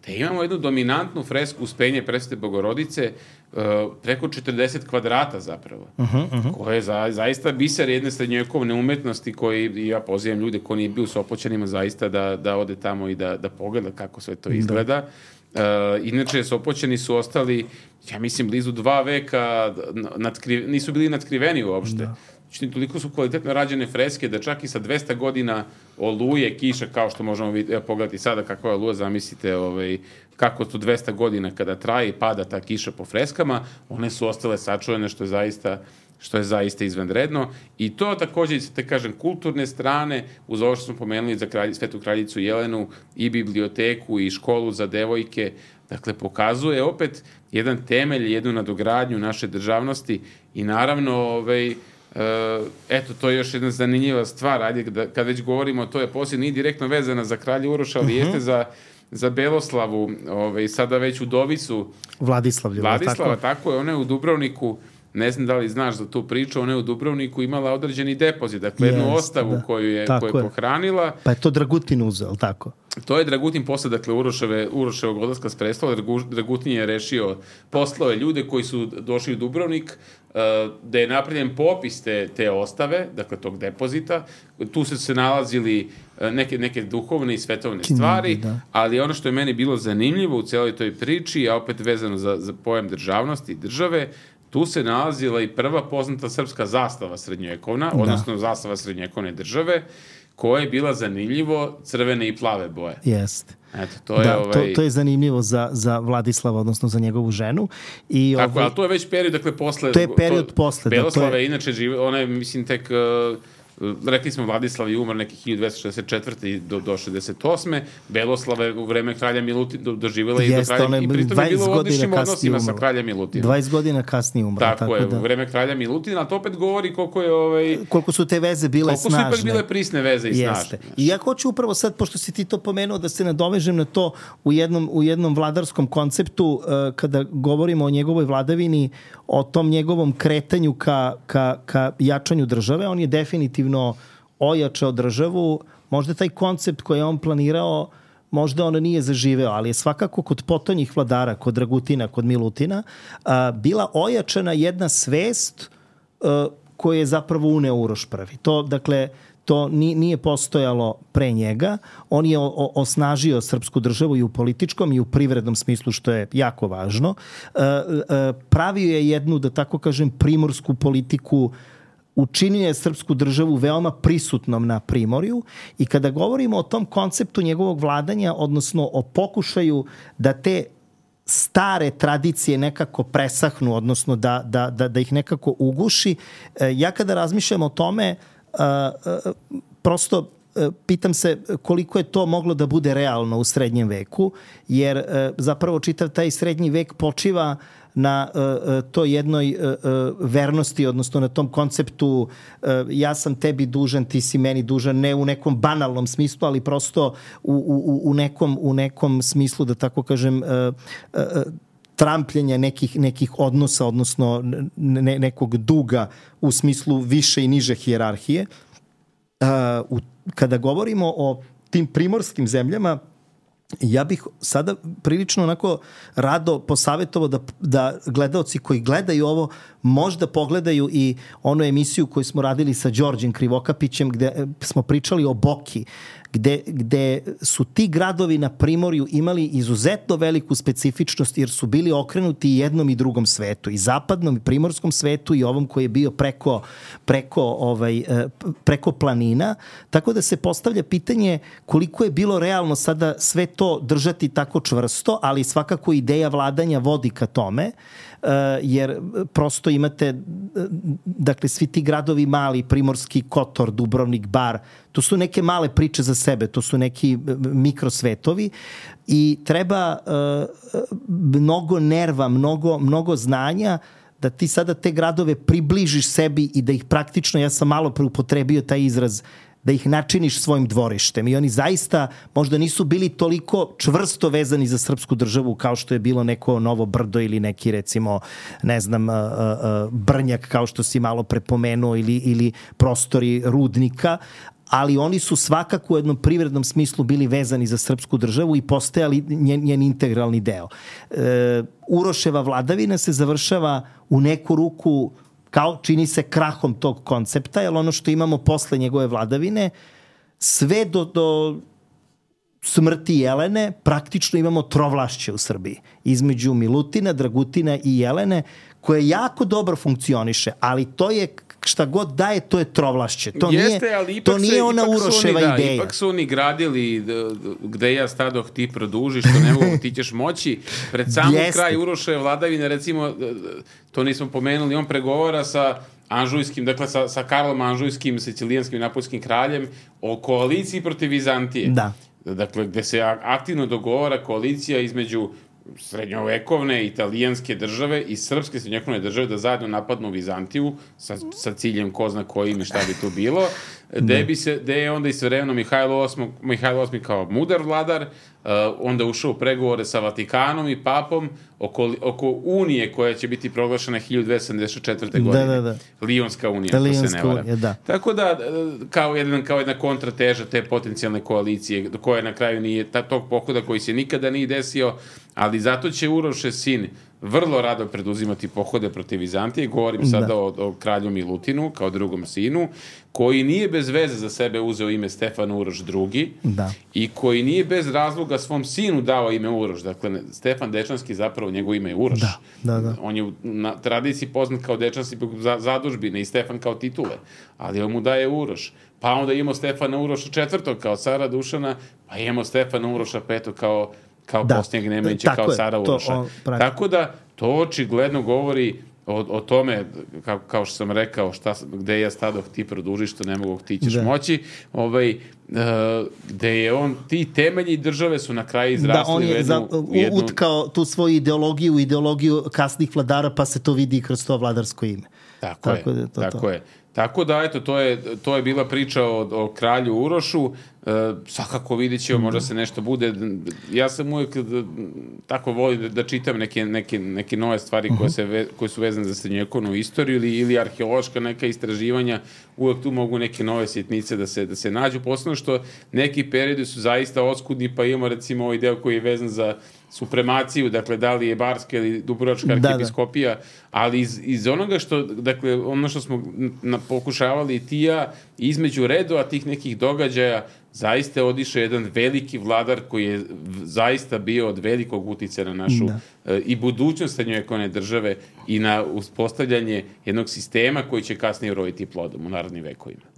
gde imamo jednu dominantnu fresku Uspenje Presvete Bogorodice, uh, preko četrdeset kvadrata zapravo, uh-huh, uh-huh. koje je za, zaista biser jedne srednjovekovne umetnosti koji, ja pozivam ljude ko nije bio u Sopoćanima zaista da, da ode tamo i da, da pogleda kako sve to izgleda. Da. Uh, inače, Sopoćani su ostali, ja mislim, blizu dva veka, nadkri, nisu bili natkriveni uopšte. Da. Znači, toliko su kvalitetno rađene freske da čak i sa dvesta godina oluje, kiša, kao što možemo vidjeti, evo, pogledati sada kakva je oluja, zamislite ovaj, kako to dvesta godina kada traje i pada ta kiša po freskama, one su ostale sačuvane, što je zaista što je zaista izvanredno. I to također, te kažem, kulturne strane, uz ovo što smo pomenuli za kralj, Svetu kraljicu Jelenu, i biblioteku, i školu za devojke, dakle, pokazuje opet jedan temelj, jednu nadogradnju naše državnosti i naravno, ovaj, Uh, eto, to je još jedna zanimljiva stvar, ajde, da, kad već govorimo o toj eposi, nije direktno vezana za kralja Uroša, ali uh-huh. jeste za, za Beloslavu, ovaj, sada već udovicu Vladislavljevu. Vladislava, tako? tako je, ona je u Dubrovniku, ne znam da li znaš za tu priču, ona je u Dubrovniku imala određeni depozit, dakle jednu yes, ostavu da. koju je, koju je pohranila. Pa je to Dragutin uzeo, tako? To je Dragutin posle, dakle, Uroševe, Uroševog odlaska s prestola. Dragutin je rešio poslove ljude koji su došli u Dubrovnik, da je napravljen popis te, te ostave, dakle, tog depozita. Tu su se nalazili neke, neke duhovne i svetovne stvari, da. Ali ono što je meni bilo zanimljivo u celoj toj priči, a opet vezano za, za pojam državnosti i države, tu se nalazila i prva poznata srpska zastava srednjovekovna, da. odnosno zastava srednjovekovne države, koja je bila zanimljivo crvene i plave boje. Jeste. Eto, to je, da, ovaj... to, to je zanimljivo za, za Vladislava, odnosno za njegovu ženu. I Tako, ovaj... ali to je već period, dakle, posle... To je period to, posle. Beloslava da, to je... inače žive, ona je, mislim, tek... Uh, rekli smo Vladislav je umar neki hiljadu dvesta šezdeset četvrte do, do šezdeset osme Beloslava je u vreme kralja Milutina do, doživjela i do kralja i pritom je bilo u odličnim odnosima sa kraljem Milutinom. dvadeset godina kasnije umrla. Tako, tako je, da. U vreme kralja Milutina, ali to opet govori koliko je ovaj, koliko su te veze bile koliko snažne. Koliko su ipak bile prisne veze i Jeste. snažne. I ja hoću upravo sad, pošto si ti to pomenuo, da se nadovežem na to u jednom, u jednom vladarskom konceptu, uh, kada govorimo o njegovoj vladavini, o tom njegovom kretanju ka, ka, ka jačanju države. On je definitivno ojačao državu. Možda taj koncept koji je on planirao, možda on nije zaživeo, ali je svakako kod potonjih vladara, kod Dragutina, kod Milutina, a, bila ojačana jedna svest a, koju je zapravo uneo Uroš prvi. To, dakle, to nije postojalo pre njega. On je osnažio srpsku državu i u političkom i u privrednom smislu, što je jako važno. Pravio je jednu, da tako kažem, primorsku politiku, učinio je srpsku državu veoma prisutnom na primorju i kada govorimo o tom konceptu njegovog vladanja, odnosno o pokušaju da te stare tradicije nekako presahnu, odnosno da, da, da, da ih nekako uguši, ja kada razmišljam o tome, Uh, uh, prosto uh, pitam se koliko je to moglo da bude realno u srednjem veku, jer uh, zapravo čitav taj srednji vek počiva na uh, uh, to jednoj uh, uh, vernosti, odnosno na tom konceptu uh, ja sam tebi dužan, ti si meni dužan, ne u nekom banalnom smislu, ali prosto u, u, u, nekom, u nekom smislu, da tako kažem, uh, uh, trampljenja nekih, nekih odnosa, odnosno ne, nekog duga u smislu više i niže hijerarhije. Uh, u, kada govorimo o tim primorskim zemljama, ja bih sada prilično onako rado posavjetovao da, da gledaoci koji gledaju ovo možda pogledaju i onu emisiju koju smo radili sa Đorđem Krivokapićem gde smo pričali o Boki, gde, gde su ti gradovi na primorju imali izuzetno veliku specifičnost jer su bili okrenuti jednom i drugom svetu, i zapadnom i primorskom svetu i ovom koji je bio preko, preko, ovaj, preko planina. Tako da se postavlja pitanje koliko je bilo realno sada sve to držati tako čvrsto, ali svakako ideja vladanja vodi ka tome, jer prosto imate, dakle, svi ti gradovi mali, Primorski Kotor, Dubrovnik, Bar, to su neke male priče za sebe, to su neki mikrosvetovi i treba uh, mnogo nerva, mnogo, mnogo znanja da ti sada te gradove približiš sebi i da ih praktično, ja sam malo preupotrebio taj izraz, da ih načiniš svojim dvorištem. I oni zaista možda nisu bili toliko čvrsto vezani za srpsku državu kao što je bilo neko Novo Brdo ili neki, recimo, ne znam, Brnjak, kao što si malo prepomenuo, ili, ili prostori Rudnika, ali oni su svakako u jednom privrednom smislu bili vezani za srpsku državu i postajali njen, njen integralni deo. E, Uroševa vladavina se završava u neku ruku kao čini se krahom tog koncepta, jer ono što imamo posle njegove vladavine, sve do, do smrti Jelene praktično imamo trovlašće u Srbiji. Između Milutina, Dragutina i Jelene, koje jako dobro funkcioniše, ali to je šta god daje, to je trovlašće. To Jeste, nije, ali to nije se, ona Uroševa oni, da, ideja. Ipak su oni gradili gde ja stadoh ti produžiš, što ne mogu, ti ćeš moći. Pred samom kraj Uroševe vladavine, recimo, to nismo pomenuli, on pregovara sa Anžujskim, dakle sa, sa Karlom Anžujskim, sicilijanskim i napoljskim kraljem o koaliciji protiv Vizantije. Da. Dakle, gde se aktivno dogovara koalicija između srednjovekovne italijanske države i srpske srednjovekovne države da zajedno napadnu Vizantiju sa, sa ciljem ko zna kojim i šta bi tu bilo, gde bi se, gde je onda istovremeno Mihajlo osmi, Mihajlo osmi kao mudar vladar, uh, onda ušao u pregovore sa Vatikanom i papom oko, oko unije koja će biti proglašena hiljadu dvesta sedamdeset četvrte. godine. Da, da, da. Lionska unija, Lionska se ne vara. Unija, da. Tako da, kao, jedan, kao jedna kontrateža te potencijalne koalicije, do koje na kraju nije, ta, tog pohoda koji se nikada nije desio, ali zato će Urošev sin vrlo rado preduzimati pohode protiv Vizantije. Govorim sada da. o, o kralju Milutinu, kao drugom sinu, koji nije bez veze za sebe uzeo ime Stefan Uroš drugi. Da. I koji nije bez razloga svom sinu dao ime Uroš. Dakle, Stefan Dečanski, zapravo njegovo ime je Uroš. Da, da, da. On je na tradiciji poznat kao Dečanski za, zadužbine i Stefan kao titule, ali on mu daje Uroš. Pa onda imamo Stefana Uroša četvrtog kao cara Dušana, pa imamo Stefana Uroša petog kao kao da. posljednjeg Nemanjića, kao cara Uroša. On, Tako da, to očigledno govori o, o tome, kao, kao što sam rekao, šta, gde ja stadoh ti produžiš, što ne mogu ti ćeš da. moći, ovaj, uh, gde je on, ti temelji države su na kraju izrasli da, on je u jednu, za, u jednu... utkao tu svoju ideologiju, ideologiju kasnih vladara, pa se to vidi kroz to vladarsko ime. Tako, tako je, da, to, tako to. je. Tako da, eto, to je, to je bila priča o, o kralju Urošu. E, svakako vidit ćemo, možda se nešto bude. Ja sam uvijek tako volim da, da čitam neke, neke, neke nove stvari koje, se ve, koje su vezane za srednjovekovnu istoriju ili, ili arheološka neka istraživanja. Uvijek tu mogu neke nove sjetnice da se, da se nađu. Posledno što neki periodi su zaista oskudni, pa imamo recimo ovaj deo koji je vezan za supremaciju, dakle, da li je Barska ili Dubrovačka arhijepiskopija, da, da. ali iz, iz onoga što, dakle, ono što smo na, pokušavali i ti ja, između redova tih nekih događaja, zaista je odišao jedan veliki vladar koji je zaista bio od velikog uticaja na našu e, i budućnost srednjovekovne države i na uspostavljanje jednog sistema koji će kasnije uroditi plodom u narodnim vekovima.